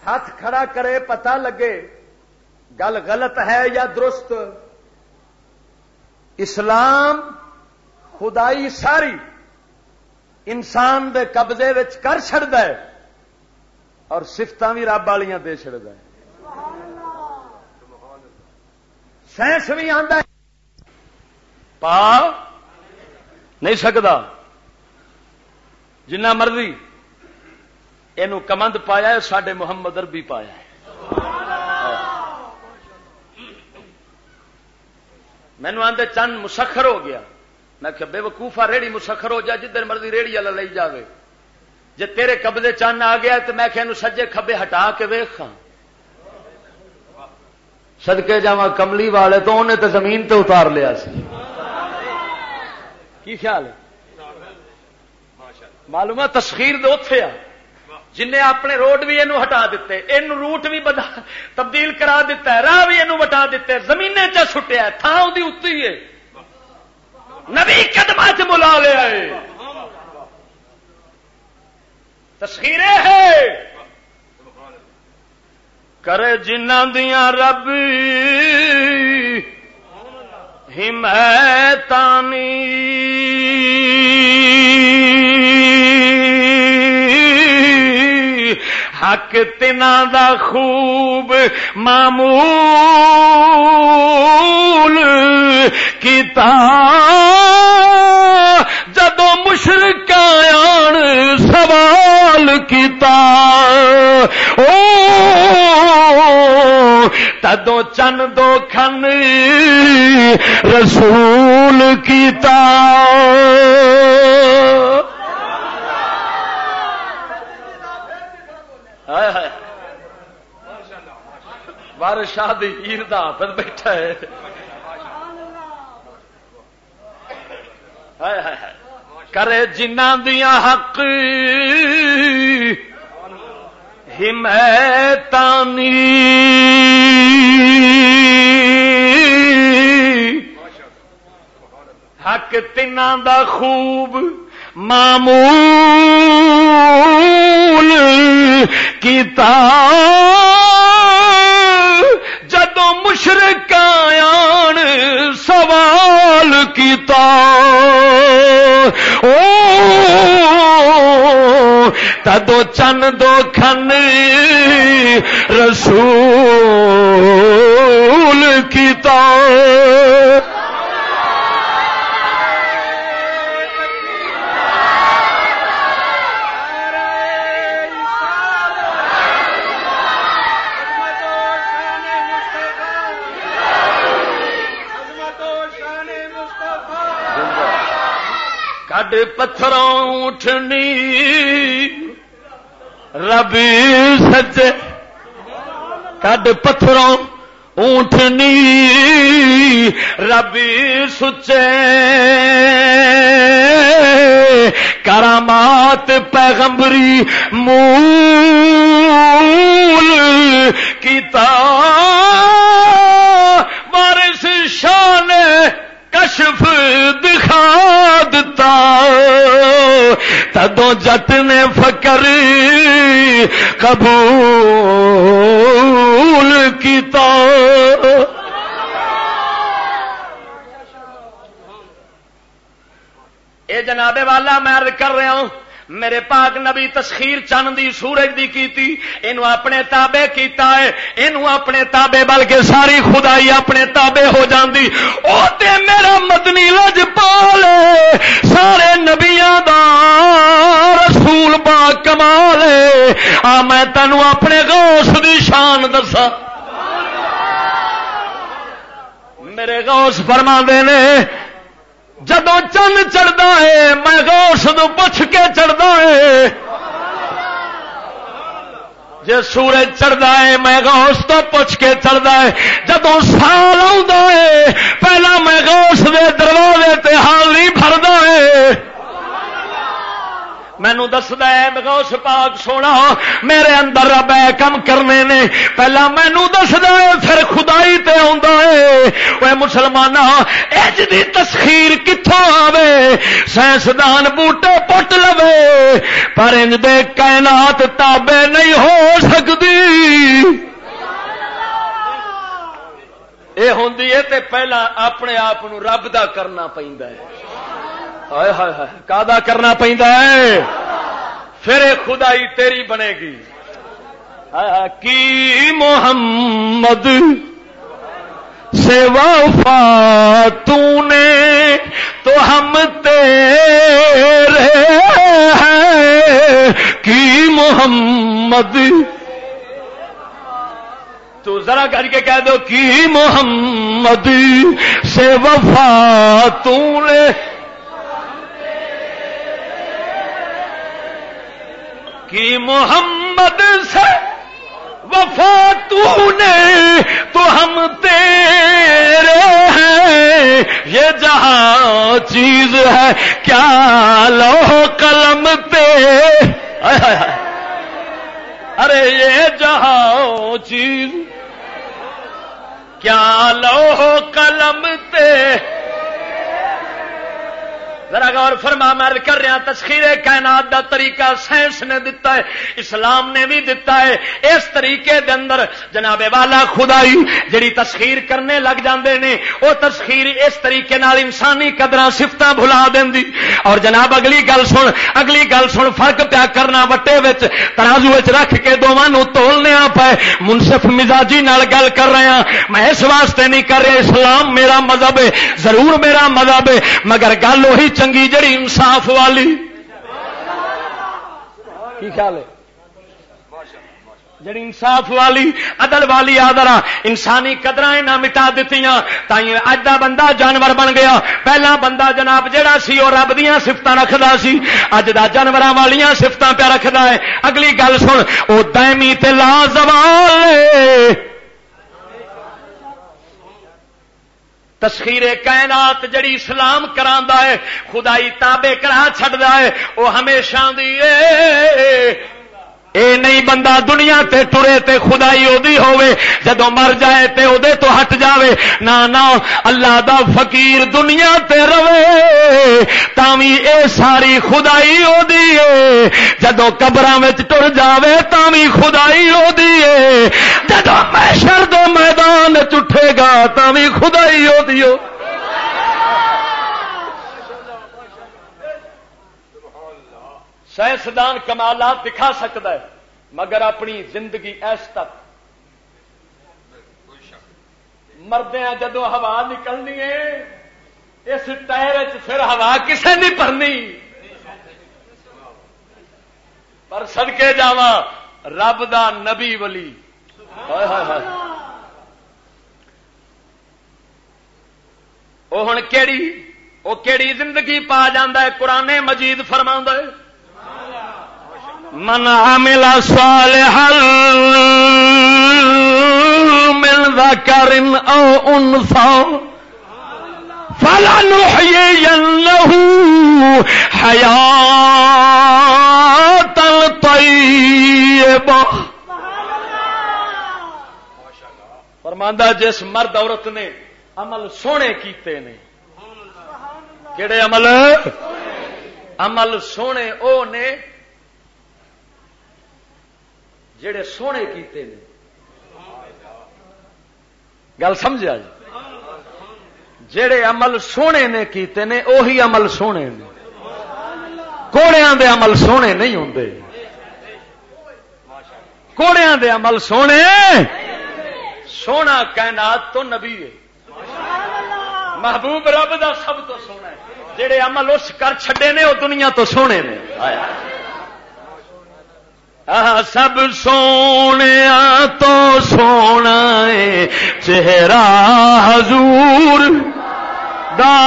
ہاتھ کھڑا کرے، پتہ لگے گل غلط ہے یا درست۔ اسلام خدائی ساری انسان دے قبضے وچ کر چھڑدا ہے اور صفتاں بھی رب والیاں دے چھڑدا ہے۔ سائنس بھی آندا ہے، پا نہیں سکدا۔ جنہ مرضی اینو کمند پایا ہے، ساڈے محمد عربی پایا ہے۔ مینوں آندے چند مسخر ہو گیا۔ میں کہ بے وقوفا، ریڑھی مسخر ہو جا، جدھر مرضی ریڑھی والا لئی جاوے۔ جے تیرے قبضے چند آ گیا تے میں کہ اینو سجے کھبے ہٹا کے ویکھ ہاں۔ صدقے جاواں کملی والے تو، انہیں تے زمین تے اتار لیا سی۔ کی خیال ہے؟ معلوم ہے تسخیر دے اوتھے آ، جن نے اپنے روڈ بھی اینو ہٹا دتے، اینو روٹ بھی بدا-، تبدیل کرا دتا ہے، راہ بھی اینو وٹا دتے، زمینیں چ سٹیا ہے، تھاں اودی اُتی ہے، نبی قدماں چ بلا لیا ہے۔ تسخیرے ہے۔ کرے جنہاں دیاں رب حمایتانی، حق تنہاں دا خوب معمول کیتا۔ جدوں مشرکاں آن سوال کیتا، او تدوں چن دو کھن رسول کیتا۔ ہائے ہائے۔ وارث شاہ دی ہیر دا حافظ بیٹھا ہے۔ ہائے ہائے ہائے۔ کرے جنہاں دیاں حق حمایتانی، حق تنہاں دا خوب معمول کیتا۔ جدوں مشرکاں آن سوال کیتا، او تدوں چن دو کھن رسول کیتا۔ کڈ پتھروں اٹھنی رب سچے، کڈ پتھروں اونٹنی رب سچے، کرامات پیغمبری مول کیتا۔ وارث شاہ نے کشف دکھا دتا، تدوں جٹ نے فقر قبول کیتا۔ اے جناب والا، میں عرض کر رہا ہوں، میرے پاک نبی تسخیر چن دی، سورج دی کیتی، اینو اپنے تابع کیتا ہے، اینو اپنے تابع، بلکہ ساری خدائی اپنے تابع ہو جاندی۔ او تے میرا مدنی لجپال ہے، سارے نبیاں دا رسول با کمال ہے۔ آ میں تینوں اپنے غوث دی شان دساں۔ میرے غوث فرما نے، جدوں چند چڑھدا ہے، میں غوث نو پچھ کے چڑھدا ہے۔ جے سورج چڑھدا ہے، میں غوث تو پچھ کے چڑھدا ہے۔ جدوں سال آوندا ہے، پہلا میں غوث دے دروازے تے حال نہیں بھردا ہے۔ مینوں دسدا ہے غوث پاک سونا، میرے اندر رب اے کم کرنے نے۔ پہلا مینوں دسدا ہے، پھر خدائی تے آوندا ہے۔ اوے مسلماناں، اج دی تسخیر کتھوں آوے؟ سائنسدان بوٹے پٹ لوے، پر انج دے کائنات تابع نہیں ہو سکدی۔ اے ہوندی ہے تے پہلا اپنے آپ نو رب دا کرنا پیندا ہے۔ ہائے ہائے ہائے، کادا کرنا پیندا ہے؟ پھر اے خدائی تیری بنے گی۔ ہائے ہائے، کی محمد سے وفا تو نے تو ہم تیرے ہیں، کی محمد تو ذرا کر کے کہہ دو، کی محمد سے وفا تو نے، کی محمد سے وفا تو نے، تو ہم تیرے ہیں۔ یہ جہاں چیز ہے کیا لوح قلم تے، ہائے ہائے ہائے۔ ارے یہ جہاں چیز کیا لوح و قلم تے۔ ذرا غور فرما، میں عرض کر رہا، تسخیر کائنات دا طریقہ سائنس نے دتا ہے، اسلام نے بھی دتا ہے۔ اس طریقے دے اندر جناب والا خدائی جڑی تسخیر کرنے لگ جاندے نے، او تسخیر اس طریقے نال انسانی قدراں صفتاں بھلا دیندی۔ اور جناب، اگلی گل سن، اگلی گل سن، فرق پیا کرنا وٹے وچ، ترازو وچ رکھ کے دوواں نوں تولنے آ پئے۔ منصف مزاجی نال گل کر رہے ہاں، میں اس واسطے نہیں کر رہا، اسلام میرا مذہب ہے، ضرور میرا مذہب ہے، مگر گل وہی چنگی جڑی انصاف والی۔ کی خیال ہے؟ جڑی انصاف والی، عدل والی آ ذرا، انسانی قدراں انہاں مٹا دتیاں، تائیں اج دا بندہ جانور بن گیا۔ پہلا بندہ جناب جڑا سی، او رب دیاں صفتاں رکھدا سی، اج دا جانوراں والیاں صفتاں پیا رکھدا ہے۔ اگلی گل سن، او دائمی تے لا زوال ہے۔ تسخیر کائنات جڑی اسلام کراندا ہے، خدائی تابع کرا چھڈدا ہے، او ہمیشہ دی اے۔ اے نہیں بندہ دنیا تے ٹرے تے خدائی او دی ہووے، جدوں مر جائے تے او دے تو ہٹ جاوے۔ نہ، نہ، اللہ دا فقیر دنیا تے روے، تاں وی اے ساری خدائی او دی اے۔ جدوں قبراں وچ ٹر جاوے، تاں وی خدائی او دی اے۔ جدوں محشر دے میدان وچ اٹھے گا، تاں وی خدائی او دی او۔ سائنسدان کمالات دکھا سکدا ہے، مگر اپنی زندگی ایس تک۔ مردیاں جدوں ہوا نکلنی ہے، اس ٹائر وچ پھر ہوا کسے نہیں بھرنی۔ پر صدقے جاواں، رب دا نبی ولی۔ ہائے ہائے ہائے۔ او ہن کیڑی، او کیڑی زندگی پا جاندا ہے؟ قرآن مجید فرماندا ہے، "من عمل صالحا من ذکر او انثی فلنحیینہ حیاتا طیبہ۔" فرماندا، جس مرد عورت نے عمل سونے کیتے نے، کیڑے عمل؟ عمل سونے او نے جڑے سونے کیتے نے۔ گل سمجھا جی؟ جڑے عمل سونے نے کیتے نے، اوہی عمل سونے نے۔ کوڑے دے عمل سونے نہیں ہوندے۔ کوڑیاں دے عمل سونے، سونا کائنات تو نبی ہے۔ محبوب رب دا سب تو سونا ہے۔ جڑے عمل اس کر چھڈے نے، وہ دنیا تو سونے نے۔ آہ، سب سونیا تو سونا ہے چہرہ حضور دا،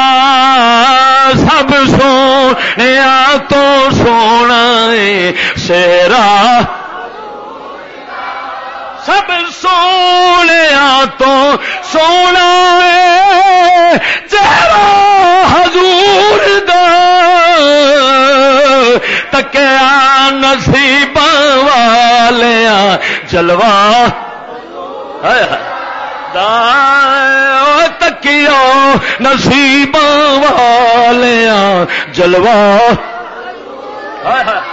سب سونیا تو سونا ہے چہرہ، سب سونیا تو سونا ہے چہرہ حضور دا، تکیا نصیباں والیاں جلوہ، ہائے ہائے، دا، او تکیا نصیباں والیاں جلوہ۔ ہائے ہائے۔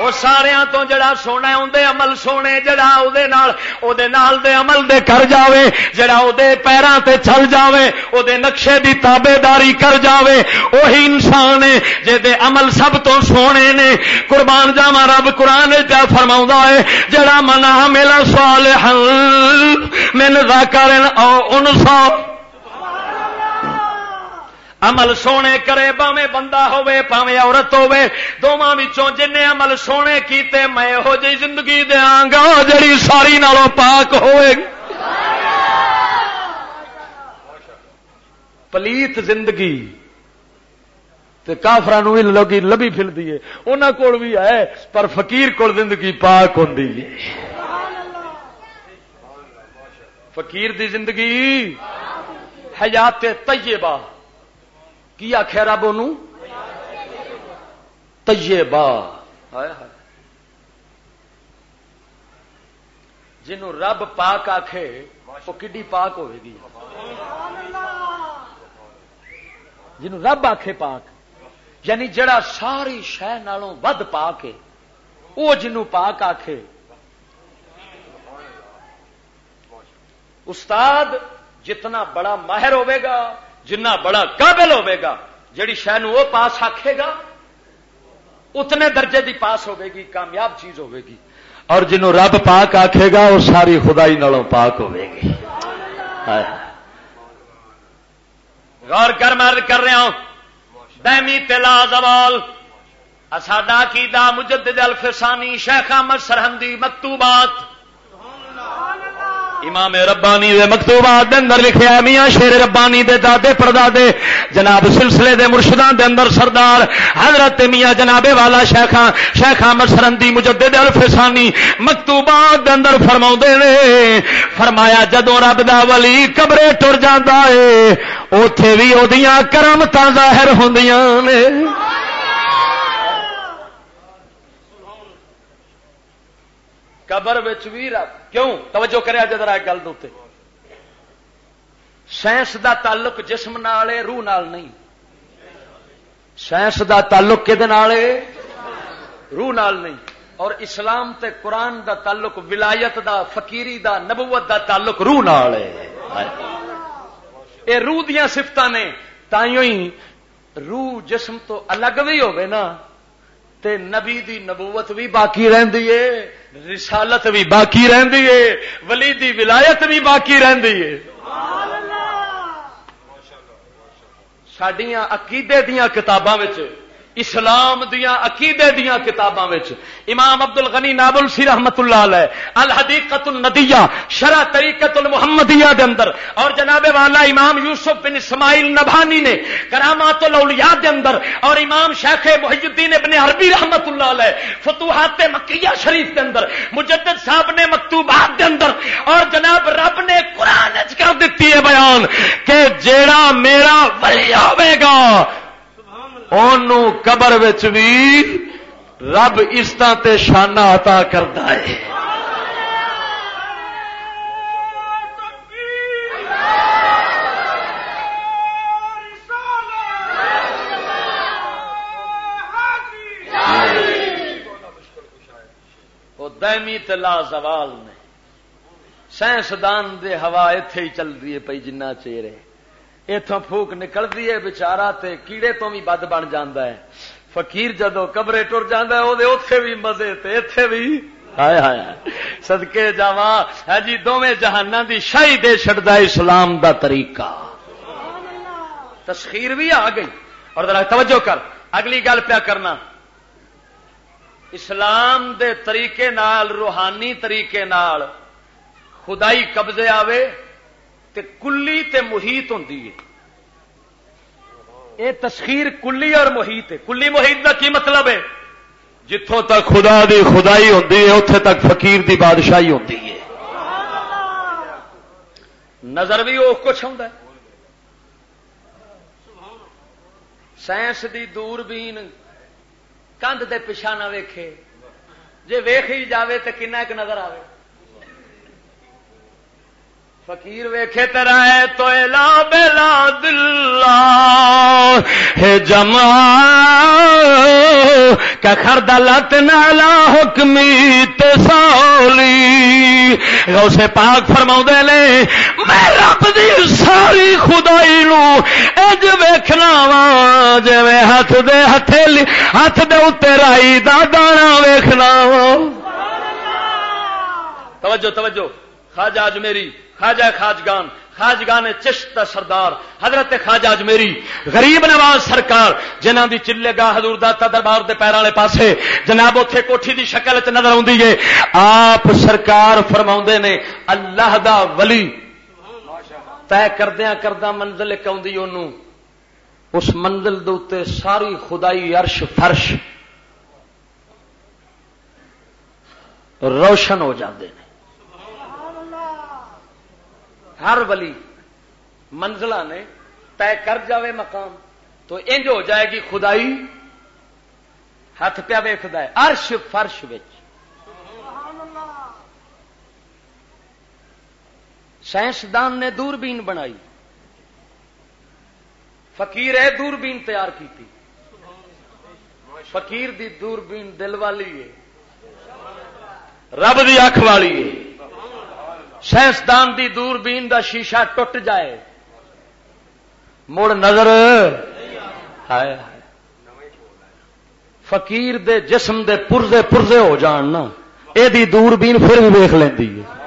او ساریاں تو جڑا سونا ہے، اوندے عمل سونے، جڑا او دے نال، او دے نال دے عمل دے کر جاوے، جڑا او دے پیراں تے چل جاوے، او دے نقشے دی تابعداری کر جاوے، اوہی انسان ہے جے دے عمل سب تو سونے نے۔ قربان جاواں، رب قرآن وچ پیا فرماوندا ہے، جڑا من عمل صالحا من ذکر او انثی، عمل سونے کرے، بھاویں بندہ ہوے، بھاویں عورت ہوے، دوواں وچوں جن نے عمل سونے کیتے، میں یہو جہی زندگی دیاں گا جڑی ساری نالوں پاک ہوئے گی۔ پلیت زندگی تے کافراں نوں وی لگی، لبی پھردی ہے، انہاں کول وی ہے، پر فقیر کول زندگی پاک ہوندی ہے۔ فقیر دی زندگی حیات طیبہ۔ کی آکھیا رب اونوں؟ طیبہ۔ ہائے ہائے۔ جنوں رب پاک آکھے، وہ کڈی پاک ہوے گی۔ جنوں رب آکھے پاک، یعنی جڑا ساری شے نالوں ود پاک ہے، وہ جنوں پاک آکھے۔ استاد جتنا بڑا ماہر ہوے گا، جتنا بڑا قابل ہوے گا، جڑی شے نوں وہ پاس آکھے گا، اتنے درجے دی پاس ہوے گی، کامیاب چیز ہوے گی۔ اور جنوں رب پاک آکھے گا، وہ ساری خدائی نالوں پاک ہوے گی۔ ہائے۔ غور کر، میں عرض کر رہا ہوں، دائمی تے لا زوال۔ اساڈا عقیدہ مجدد الفسانی شیخ احمد سرہندی مکتوبات، امام ربانی دے مکتوبات دے اندر لکھیا ہے، میاں شیر ربانی دے دادے پردادے جناب سلسلے دے مرشداں دے اندر سردار حضرت میاں جناب والا شیخ، شیخ احمد سرہندی مجدد الفسانی مکتوبات دے اندر فرماوندے نے، فرمایا جدوں رب دا ولی قبرے ٹر جاندا ہے، اوتھے وی اودیاں کرامتاں ظاہر ہوندیاں نے۔ قبر وچ وی رب، کیوں؟ توجہ کریا جے ذرا ایک گل دے اُتے۔ سائنس دا تعلق جسم نال ہے، روح نال نہیں۔ سائنس دا تعلق کدے نال ہے؟ روح نال نہیں۔ اور اسلام تے قرآن دا تعلق، ولایت دا، فقیری دا، نبوت دا تعلق روح نال ہے۔ اے روح دیاں صفتاں نے، تائیوں ہی روح جسم تو الگ بھی ہوے نا، تے نبی دی نبوت بھی باقی رہندی ہے، رسالت بھی باقی رہندی ہے، ولی دی ولایت بھی باقی رہندی ہے۔ ساڈیاں عقیدے دیاں کتاباں وچ، اسلام دیاں عقیدے دیاں کتاباں وچ امام عبد الغنی نابلسی رحمت اللہ علیہ الحدیقۃ الندیہ شرح طریقۃ المحمدیہ دے اندر، اور جناب والا امام یوسف بن اسماعیل نبھانی نے کرامات الاولیاء دے اندر، اور امام شیخ محی الدین ابن عربی رحمت اللہ علیہ فتوحات مکیہ شریف دے اندر، مجدد صاحب نے مکتوبات دے اندر، اور جناب رب نے قرآن وچ کر دتی ہے بیان کہ جیڑا میرا ولی ہوے گا، اونوں قبر وچ بھی رب عزتاں تے شاناں عطا کردا ہے۔ وہ دائمی تے لا زوال نے۔ سائنسدان دے ہوا ایتھے ہی چل رہی ہے پئی، جنہ چیر ہے ایتھوں پھوک نکلدی ہے، بیچارہ تے کیڑے تو بھی بد بن جاندا ہے۔ فقیر جدوں قبرے ٹر جاندا ہے، او دے اوتھے بھی مزے تے ایتھے بھی۔ ہائے ہائے ہائے۔ صدقے جاواں، ہے جی، دوویں جہاناں دی شاہی دے چھڈدا اسلام دا طریقہ۔ تسخیر بھی آ گئی۔ اور ذرا توجہ کر، اگلی گل پیا کرنا۔ اسلام دے طریقے نال، روحانی طریقے نال خدائی قبضے آوے تے کلی تے محیط ہوندی ہے۔ اے تسخیر کلی اور محیط ہے۔ کلی محیط دا کی مطلب ہے؟ جتھوں تک خدا دی خدائی ہوندی ہے، اتھے تک فقیر دی بادشاہی ہوندی ہے۔ نظر بھی وہ کچھ ہوندا ہے۔ سائنس دی دوربین کندھ دے پچھا نہ ویکھے، جے ویکھ ہی جاوے تے کنا ایک نظر آوے۔ فقیر ویکھے تے رائے تو الا بلا دلہ ہے جمع کا خردلت نالا حکمی تے سولی۔ غوث پاک فرماؤندے نے، میں رب دی ساری خدائی نو انج ویکھنا وا، جویں ہاتھ دے ہتھیلی، ہاتھ دے اُتے رائی دا دانا ویکھنا وا۔ توجہ، توجہ، خواجہ اجمیری، خواجہ خواجگان، خواجگان چشت دا سردار، حضرت خواجہ اجمیری، غریب نواز سرکار، جنہاں دی چلے گاہ حضور داتا دربار دے پیراں والے پاسے، جناب، اوتھے کوٹھی دی شکل وچ نظر آوندی ہے۔ آپ سرکار فرماوندے نے، اللہ دا ولی طے کردیاں کرداں منزل ایک آوندی اونوں، اس منزل دے اُتے ساری خدائی عرش فرش روشن ہو جاندے نے۔ ہر ولی منزلاں نے طے کر جاوے مقام، تو انج ہو جائے گی خدائی ہاتھ پیا ویکھدا ہے عرش فرش وچ۔ سائنسدان نے دوربین بنائی، فقیر اے دوربین تیار کیتی۔ فقیر دی دوربین دل والی ہے، رب دی اکھ والی ہے۔ سائنسدان دی دوربین دا شیشہ ٹوٹ جائے، مڑ نظر، ہائے ہائے۔ فقیر دے جسم دے پرزے پرزے ہو جان نا، اے دی دوربین پھر بھی ویکھ لیندی ہے۔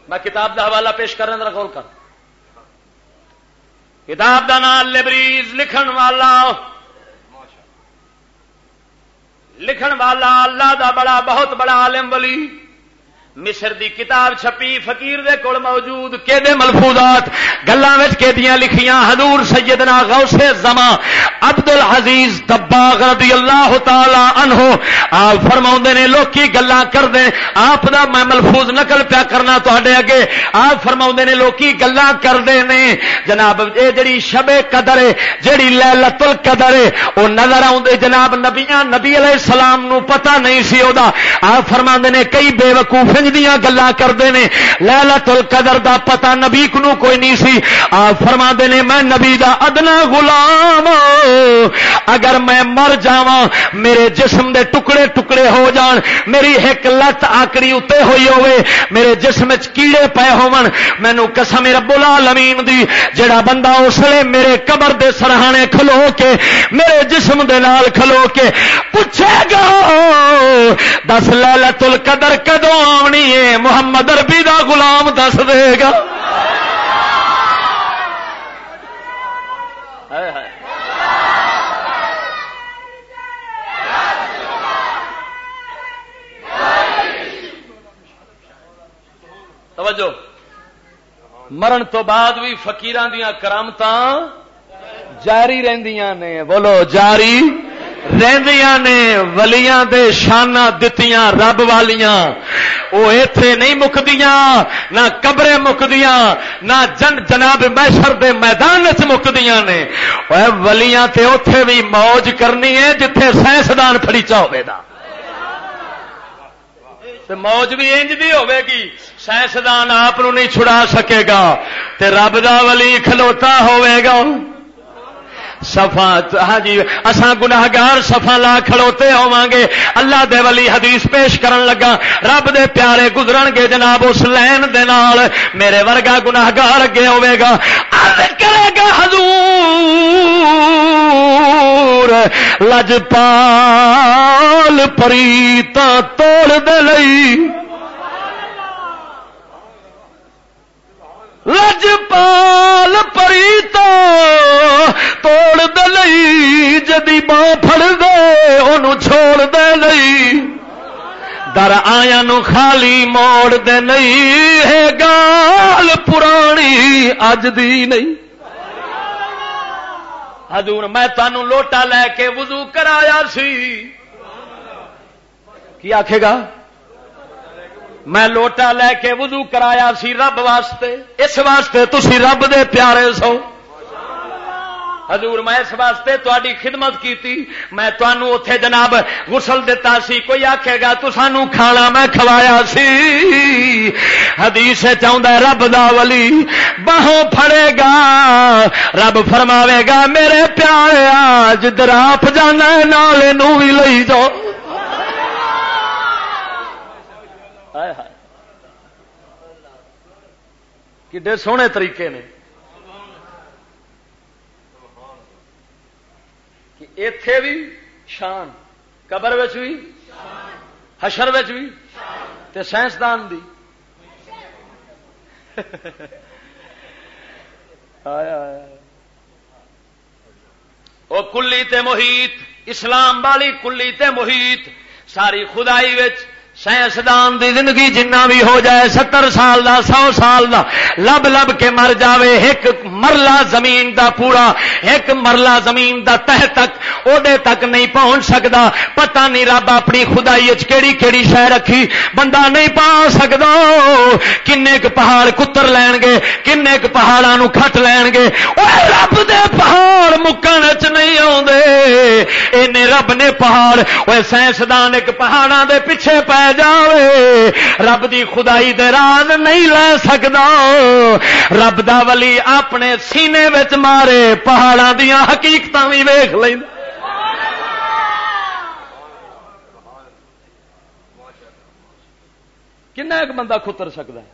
میں کتاب دا حوالہ پیش کرنا، ذرا غور کر۔ کتاب دا نام لبریز، لکھن والا، لکھن والا اللہ دا بڑا، بہت بڑا عالم ولی۔ مصر دی کتاب چھپی، فقیر دے کول موجود، کیدے ملفوظات، گلاں وچ کیدیاں لکھیاں۔ حضور سیدنا غوث زمان عبد العزیز دباغ رضی اللہ تعالی عنہ آپ فرماوندے نے، لوکی گلاں کردے، آپ دا میں ملفوظ نقل پیا کرنا تہاڈے اگے۔ آپ فرماوندے نے، لوکی گلاں کردے نے، جناب، اے جڑی شب قدر ہے، جڑی لیلۃ القدر ہے، او نظر آوندے۔ جناب، نبیاں، نبی علیہ السلام نو پتہ نہیں سی او دا۔ آپ فرماندے نے، کئی بے وقوف انج دیاں گلاں کردے نے، لیلۃ القدر دا پتہ نبی کو نو کوئی نہیں سی۔ آپ فرماندے نے، میں نبی دا ادنا غلام، اگر میں مر جاواں، میرے جسم دے ٹکڑے ٹکڑے ہو جان، میری ایک لت آکڑی اُتے ہوئی ہوئے، میرے جسم وچ کیڑے پئے ہون، مینوں قسم رب العالمین دی، جڑا بندہ اس ویلے میرے قبر دے سرہانے کھلو کے، میرے جسم دے نال کھلو کے پوچھے گا، "دس، لیلۃ القدر کدوں آونی ہے؟" محمد عربی دا غلام دس دے گا۔ ہائے ہائے۔ توجہ، مرن تو بعد بھی فقیراں دیاں کرامتاں جاری رہندیاں نے۔ بولو، جاری رہندیاں نے۔ ولیاں دے شاناں دتیاں رب والیاں، او ایتھے نہیں مکدیاں، نہ قبریں مکدیاں، نہ جن-، جناب محشر دے میدان وچ مکدیاں نے۔ اوے، ولیاں تے اوتھے بھی موج کرنی ہے جتھے سائنسدان پھڑیچا ہوے دا۔ تے موج بھی انج دی ہوے گی، سائنسدان آپ نو نہیں چھڑا سکے گا، تے رب دا ولی کھلوتا ہوے گا۔ صفاں، ہاں جی، اساں گناہگار صفاں لا کھڑوتے ہوواں گے۔ اللہ دے ولی حدیث پیش کرن لگا، رب دے پیارے گزرن گے جناب اس لین دے نال، میرے ورگا گناہگار اگے ہوے گا، عرض کرے گا، حضور، لجپال پری تاں توڑ دے لئی، لجپال پری تو توڑ دے لئی، جدی باں پھڑ دے، اونوں چھوڑ دے لئی۔ در آیاں نوں خالی موڑ دے لئی، ہے گال پرانی اج دی نہیں۔ حضور، میں تانوں لوٹا لے کے وضو کرایا سی۔ کی آکھے گا؟ میں لوٹا لے کے وضو کرایا سی رب واسطے، اس واسطے تسی رب دے پیارے سو۔ حضور، میں اس واسطے تہاڈی خدمت کیتی، میں تانوں اوتھے جناب غسل دتا سی۔ کوئی آکھے گا، "تسانوں کھانا میں کھوایا سی۔" حدیث وچ آوندا ہے، رب دا ولی باہوں پھڑے گا، رب فرماوے گا، "میرے پیارے، آج دراپ جانا ہے، نال اینوں وی لئی جاؤ۔" ہائے ہائے۔ کڈے سوہنے طریقے نے کہ ایتھے بھی شان، قبر وچ بھی، حشر وچ بھی، تے سائنسدان دی۔ آیا، آیا۔ او کلی تے محیط، اسلام والی کلی تے محیط، ساری خدائی وچ سائنسدان دی زندگی جنہ بھی ہو جائے، ستر سال دا، سو سال دا، لب لب کے مر جاوے، ایک مرلہ زمین دا پورا، ایک مرلہ زمین دا تہ تک، اوڈے تک نہیں پہنچ سکدا۔ پتہ نہیں رب اپنی خدائی وچ کیڑی کیڑی شے رکھی، بندہ نہیں پا سکدا۔ کنے ک پہاڑ کتر لین گے، کنے ک پہاڑاں نوں کھٹ لین گے۔ اوے، رب دے پہاڑ مکن وچ نہیں آوندے۔ اینے رب نے پہاڑ، اوے، سائنسدان ایک پہاڑاں دے پیچھے پے جاوے، رب دی خدائی دے راز نہیں لے سکدا۔ رب دا ولی اپنے سینے وچ مارے، پہاڑاں دیاں حقیقتاں وی ویکھ لیندا۔ کنا ایک بندہ کتر سکدا ہے؟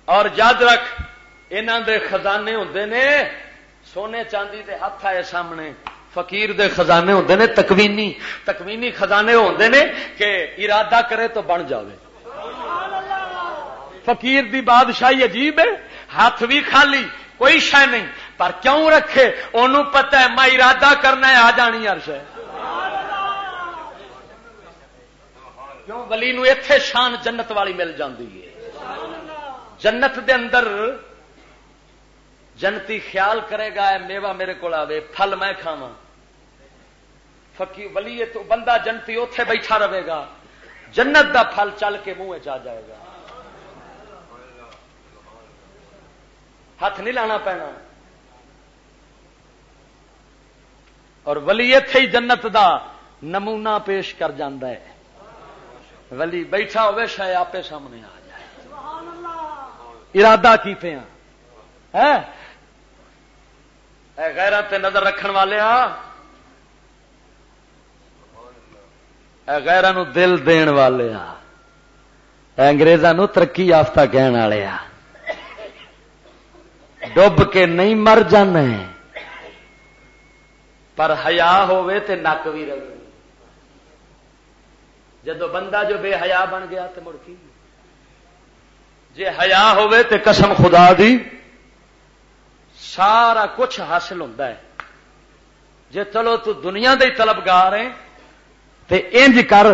اور یاد رکھ، انہاں دے خزانے ہوندے نے سونے چاندی دے ہتھ آئے سامنے، فقیر دے خزانے ہوندے نے تکوینی۔ تکوینی خزانے ہوندے نے کہ ارادہ کرے تو بن جاوے۔ فقیر دی بادشاہی عجیب ہے، ہاتھ بھی خالی، کوئی شے نہیں، پر کیوں رکھے؟ اونوں پتہ ہے میں ارادہ کرنا ہے، آ جانی ہر شے۔ کیوں؟ ولی نو ایتھے شان جنت والی مل جاندی ہے۔ جنت دے اندر جنتی خیال کرے گا، "اے میوہ میرے کول آوے، پھل میں کھاواں۔" فقی-، ولی تو بندہ جنتی اوتھے بیٹھا رہے گا، جنت دا پھل چل کے منہ وچ آ جائے گا، ہاتھ نہیں لانا پینا۔ اور ولی ایتھے ہی جنت دا نمونہ پیش کر جاندا ہے۔ ولی بیٹھا ہوئے، شاید آپے سامنے آ جائے۔ ارادہ کیتے ہیں، ہیں؟ اے غیرت تے نظر رکھن والے آ، اے غیراں نو دل دین والے آ، اے انگریزاں نو ترقی یافتہ کہن والے آ۔ ڈب کے نہیں مر جانے، پر حیا ہووے تے نک وی رہے۔ جدو بندہ جو بے حیا بن گیا تے مڑ کی؟ جے حیا ہووے تے قسم خدا دی سارا کچھ حاصل ہوندا ہے۔ جے چلو تو دنیا دے ہی طلبگار ہیں تے انج کر،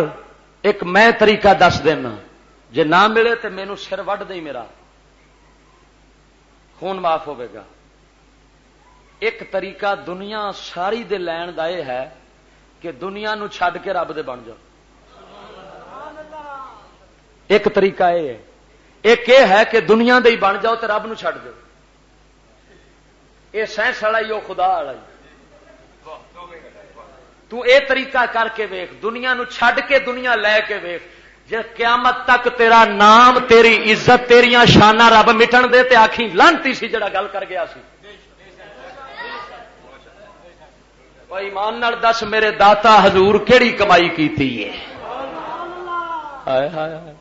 ایک میں طریقہ دس دینا، جے نہ ملے تے مینوں سر وڈ دے میرا، خون معاف ہوے گا۔ ایک طریقہ دنیا ساری دے لین دا یہ ہے کہ دنیا نو چھڈ کے رب دے بن جاؤ۔ ایک طریقہ یہ ہے، ایک یہ ہے کہ دنیا دے ہی بن جاؤ تے رب نو چھڈ دو۔ یہ سائنس والا ہی، وہ خدا والا ہی۔ تو اے طریقہ کر کے ویکھ، دنیا نو چھڈ کے دنیا لے کے ویکھ۔ جے قیامت تک تیرا نام، تیری عزت، تیریاں شاناں رب مٹن دے تے آکھی، "لعنتی سی جڑا گل کر گیا سی۔" او ایمان نال دس، میرے داتا حضور کیڑی کمائی کیتی ہے؟ ہائے ہائے ہائے۔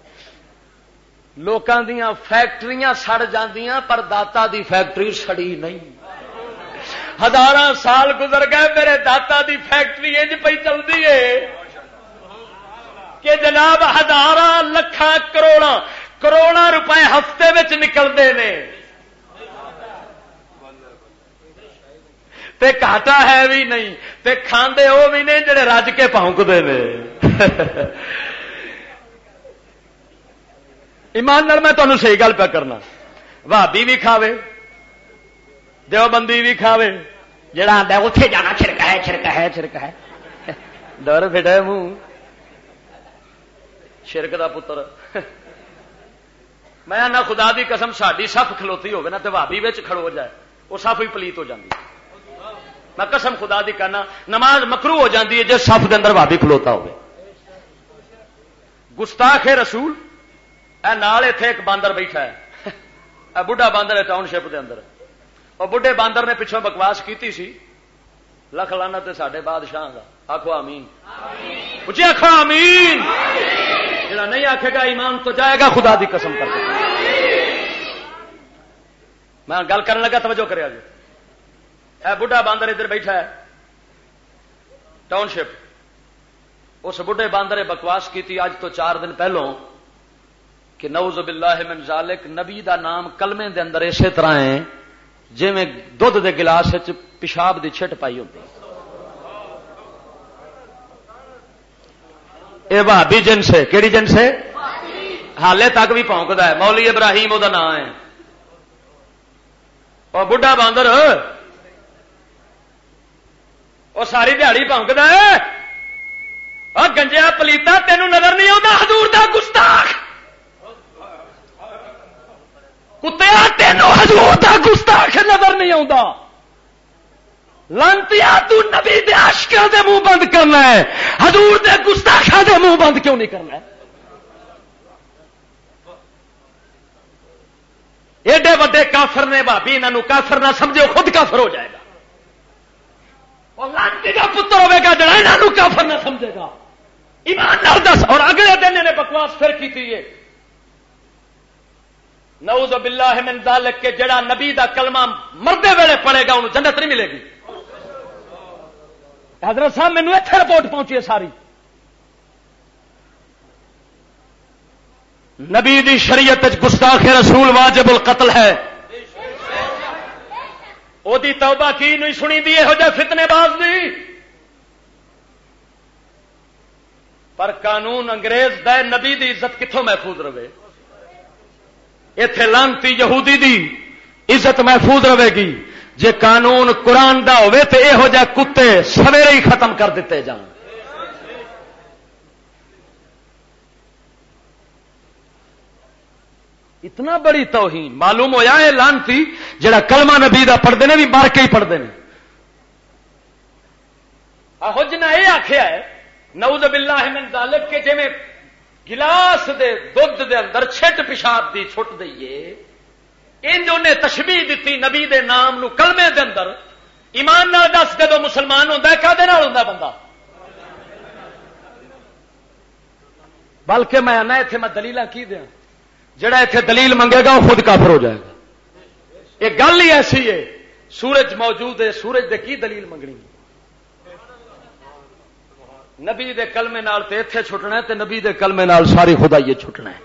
لوکاں دیاں فیکٹریاں سڑ جاندیاں، پر داتا دی فیکٹری سڑی نہیں۔ ہزاراں سال گزر گئے، میرے داتا دی فیکٹری انج پئی چلدی ہے کہ جناب، ہزاراں، لکھاں، کروڑاں، کروڑاں روپے ہفتے وچ نکلدے نے۔ تے گھاٹا ہے بھی نہیں، تے کھاندے او بھی نہیں جڑے رج کے پھونکدے نے۔ ایمان نال میں تانوں صحیح گل پیا کرنا۔ بھابی بھی کھاوے، دیوبندی بھی کھاوے، جڑا آندا ہے، "اوتھے جانا چھڑکا ہے، چھڑکا ہے، چھڑکا ہے۔" ڈر پھٹے منہ، شرک دا پتر۔ میں آنا، خدا دی قسم، ساڈی صف کھلوتی ہوگی نا تے بھابی وچ کھڑو جائے، وہ صف ہی پلیت ہو جاندی۔ میں قسم خدا دی کہنا، نماز مکروہ ہو جاندی ہے جے صف دے اندر بھابی کھلوتا ہوگی۔ گستاخ رسول، اے نال ایتھے ایک باندر بیٹھا ہے، اے بڈھا باندر ہے ٹاؤن شپ دے اندر۔ اور بڈھے باندر نے پچھوں بکواس کیتی سی، لکھ لعنت ہے ساڈے بادشاہ دا۔ آکھو آمین۔ اچھی آکھو آمین۔ جڑا نہیں آکھے گا، ایمان تو جائے گا، خدا دی قسم کر کے۔ میں گل کرن لگا، توجہ کریا جی۔ اے بڈھا باندر ادھر بیٹھا ہے ٹاؤن شپ۔ اس بڈھے باندر بکواس کی تھی اج تو چار دن پہلوں کہ نعوذ باللہ من ذالک، نبی دا نام کلمے دے اندر اسی طرح ہے جویں دودھ دے گلاس وچ پیشاب دی چھٹ پائی ہوندی۔ اے بھابی جنس ہے۔ کیڑی جنس ہے؟ حالے تک بھی بھونکدا ہے۔ مولوی ابراہیم او دا نام ہے۔ او بڈھا باندر، او ساری دیہاڑی بھونکدا ہے۔ او گنجیا پلیتا، تینوں نظر نہیں آوندا حضور دا گستاخ؟ کتیا، تینوں حضور دا گستاخ نظر نہیں آوندا؟ لعنتیا، تو نبی دے عاشقاں دے منہ بند کرنا ہے، حضور دے گستاخاں دے منہ بند کیوں نہیں کرنا ہے؟ ایڈے وڈے کافر نے بھابی، انہاں نوں کافر نہ سمجھو، خود کافر ہو جائے گا۔ اور لعنتی دا پتر ہوے گا جڑا انہاں نوں کافر نہ سمجھے گا۔ ایمان نال دس۔ اور اگلے دن انہیں بکواس پھر کی تھی یہ، نعوذ باللہ من ذالک، کہ جڑا نبی دا کلمہ مردے ویلے پڑھے گا، انہوں جنت نہیں ملے گی۔ حضرت صاحب، مینوں ایتھے رپورٹ پہنچی ہے ساری۔ نبی دی شریعت وچ گستاخ رسول واجب القتل ہے۔ او دی توبہ کی نہیں سنی دی، یہو جہ فتنے باز دی۔ پر قانون انگریز دا ہے، نبی دی عزت کتھوں محفوظ رہے؟ ایتھے لعنتی یہودی دی عزت محفوظ رہے گی۔ جے قانون قرآن دا ہوئے تے یہو جہ کتے سویرے ہی ختم کر دتے جان۔ اتنا بڑی توہین۔ معلوم ہویا اے لعنتی جڑا کلمہ نبی دا پڑھدے نے، بھی مر کے ہی پڑھدے نے۔ آہو جنہاں اے آکھیا ہے، نعوذ باللہ من ذالک، کہ جویں گلاس دے دودھ دے اندر چھٹ پیشاب دی چھٹ دئیے، انج انہیں تشبیہ دتی نبی دے نام نو کلمے دے اندر۔ ایمان نال دس، جدوں مسلمان ہوندا ہے، کدے نال ہوندا بندہ؟ بلکہ میں آنا، ایتھے میں دلیلاں کی دیاں؟ جڑا ایتھے دلیل منگے گا، وہ خود کافر ہو جائے گا۔ یہ گل ہی ایسی ہے، سورج موجود ہے، سورج دے کی دلیل منگنی؟ نبی دے کلمے نال تے ایتھے چھٹنا ہے، تے نبی دے کلمے نال ساری خدائی چھٹنا ہے۔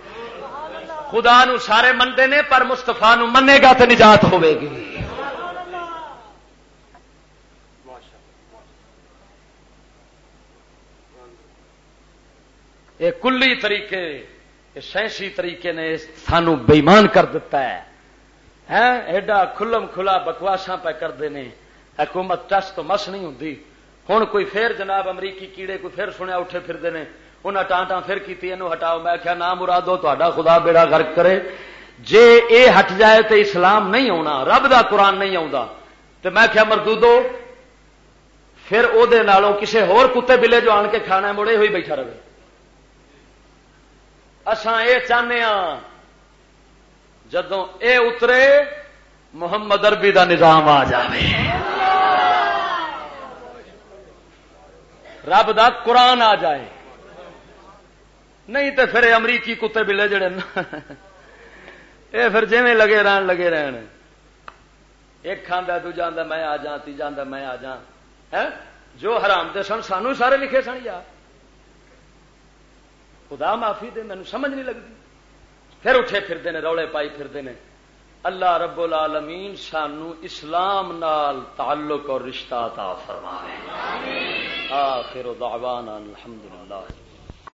خدا نو سارے مندے نے، پر مصطفیٰ نو منے گا تے نجات ہوے گی۔ یہ کلی طریقے، یہ سائنسی طریقے نے سانو بے ایمان کر دیتا ہے۔ ہیں؟ ایڈا کھلم کھلا بکواساں پہ کردے نے، حکومت ٹس تو مس نہیں ہوندی۔ ہن کوئی پھر جناب امریکی کیڑے کوئی پھر سنیا اٹھے پھردے نے، انہاں ٹاں ٹاں پھر کیتی، اینو ہٹاؤ۔ میں آکھیا، نہ مرادو، تہاڈا خدا بیڑا غرق کرے، جے اے ہٹ جائے تے اسلام نہیں ہونا، رب دا قرآن نہیں آوندا۔ تے میں آکھیا، مردودو، پھر او دے نالوں کسے ہور کتے بلے جو آن کے کھانا ہے، مڑے ہوئی بیٹھا رہے۔ اساں اے چاہنے ہاں، جدوں اے اترے، محمد عربی دا نظام آ جاوے۔ رب دا قرآن آ جائے۔ نہیں تے پھر اے امریکی کتے بلے جڑے نا، اے پھر جویں لگے رہن، لگے رہن۔ ایک کھاندا، دوجا آندا میں آ جاں، تیجا آندا میں آ جاں۔ ہیں؟ جو حرام دے سن، سانو ہی سارے لکھے سن یار۔ خدا معافی دے، مینوں سمجھ نہیں لگدی۔ پھر اٹھے پھردے نے، روڑے پائی پھردے نے۔ اللہ رب العالمین سانو اسلام نال تعلق اور رشتہ عطا فرمائے۔ آخر دعوانا الحمدللہ۔